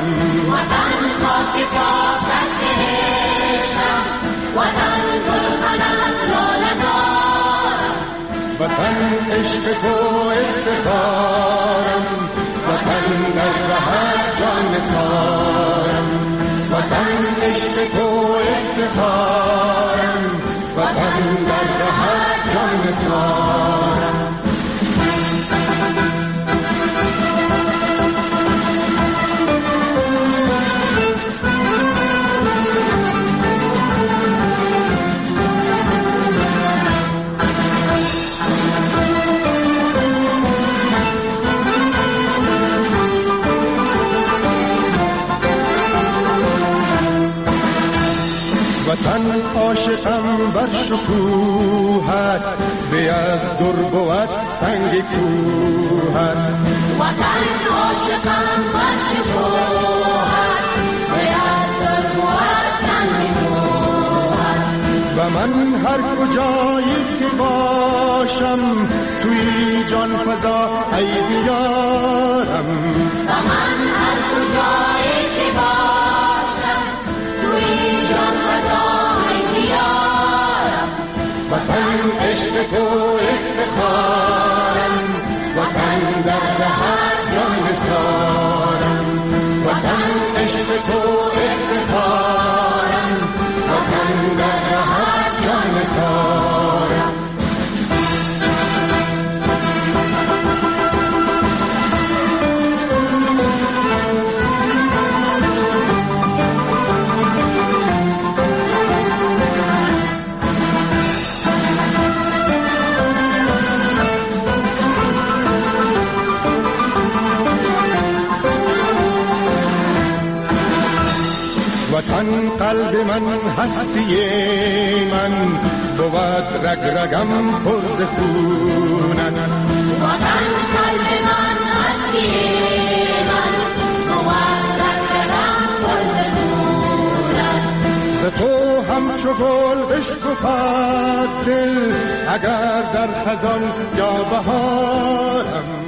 S6: وطن خاک پاکت بهشتم، وطن گلخنت لاله زارم.
S1: وطن عشق تو افتخارم، وطن در رهت جان نثارم. وطن عشق تو افتخارم، وطن در رهت جان نثارم. وطن عاشقم بر شکوهت، به از در بود سنگ کوهت.
S6: وطن عاشقم بر شکوهت، به از در بود سنگ کوهت.
S1: و من هر کجایی که باشم، توی جان فضا ای دیارم.
S6: و من هر کجایی که باشم، توی جان فضا ای دیارم.
S1: وطن عشق تو افتخارم، وطن در رهت جان نثارم. وطن عشق تو افتخارم، وطن در رهت جان نثارم.
S6: Thank you.
S1: وطن قلب من هستی من، بود رگ رگم پر ز خونت.
S6: وطن قلب من هستی من، بود رگ رگم پر ز خونت.
S1: ز تو همچو گل بشکفد دل، اگر در خزان یا بهارم.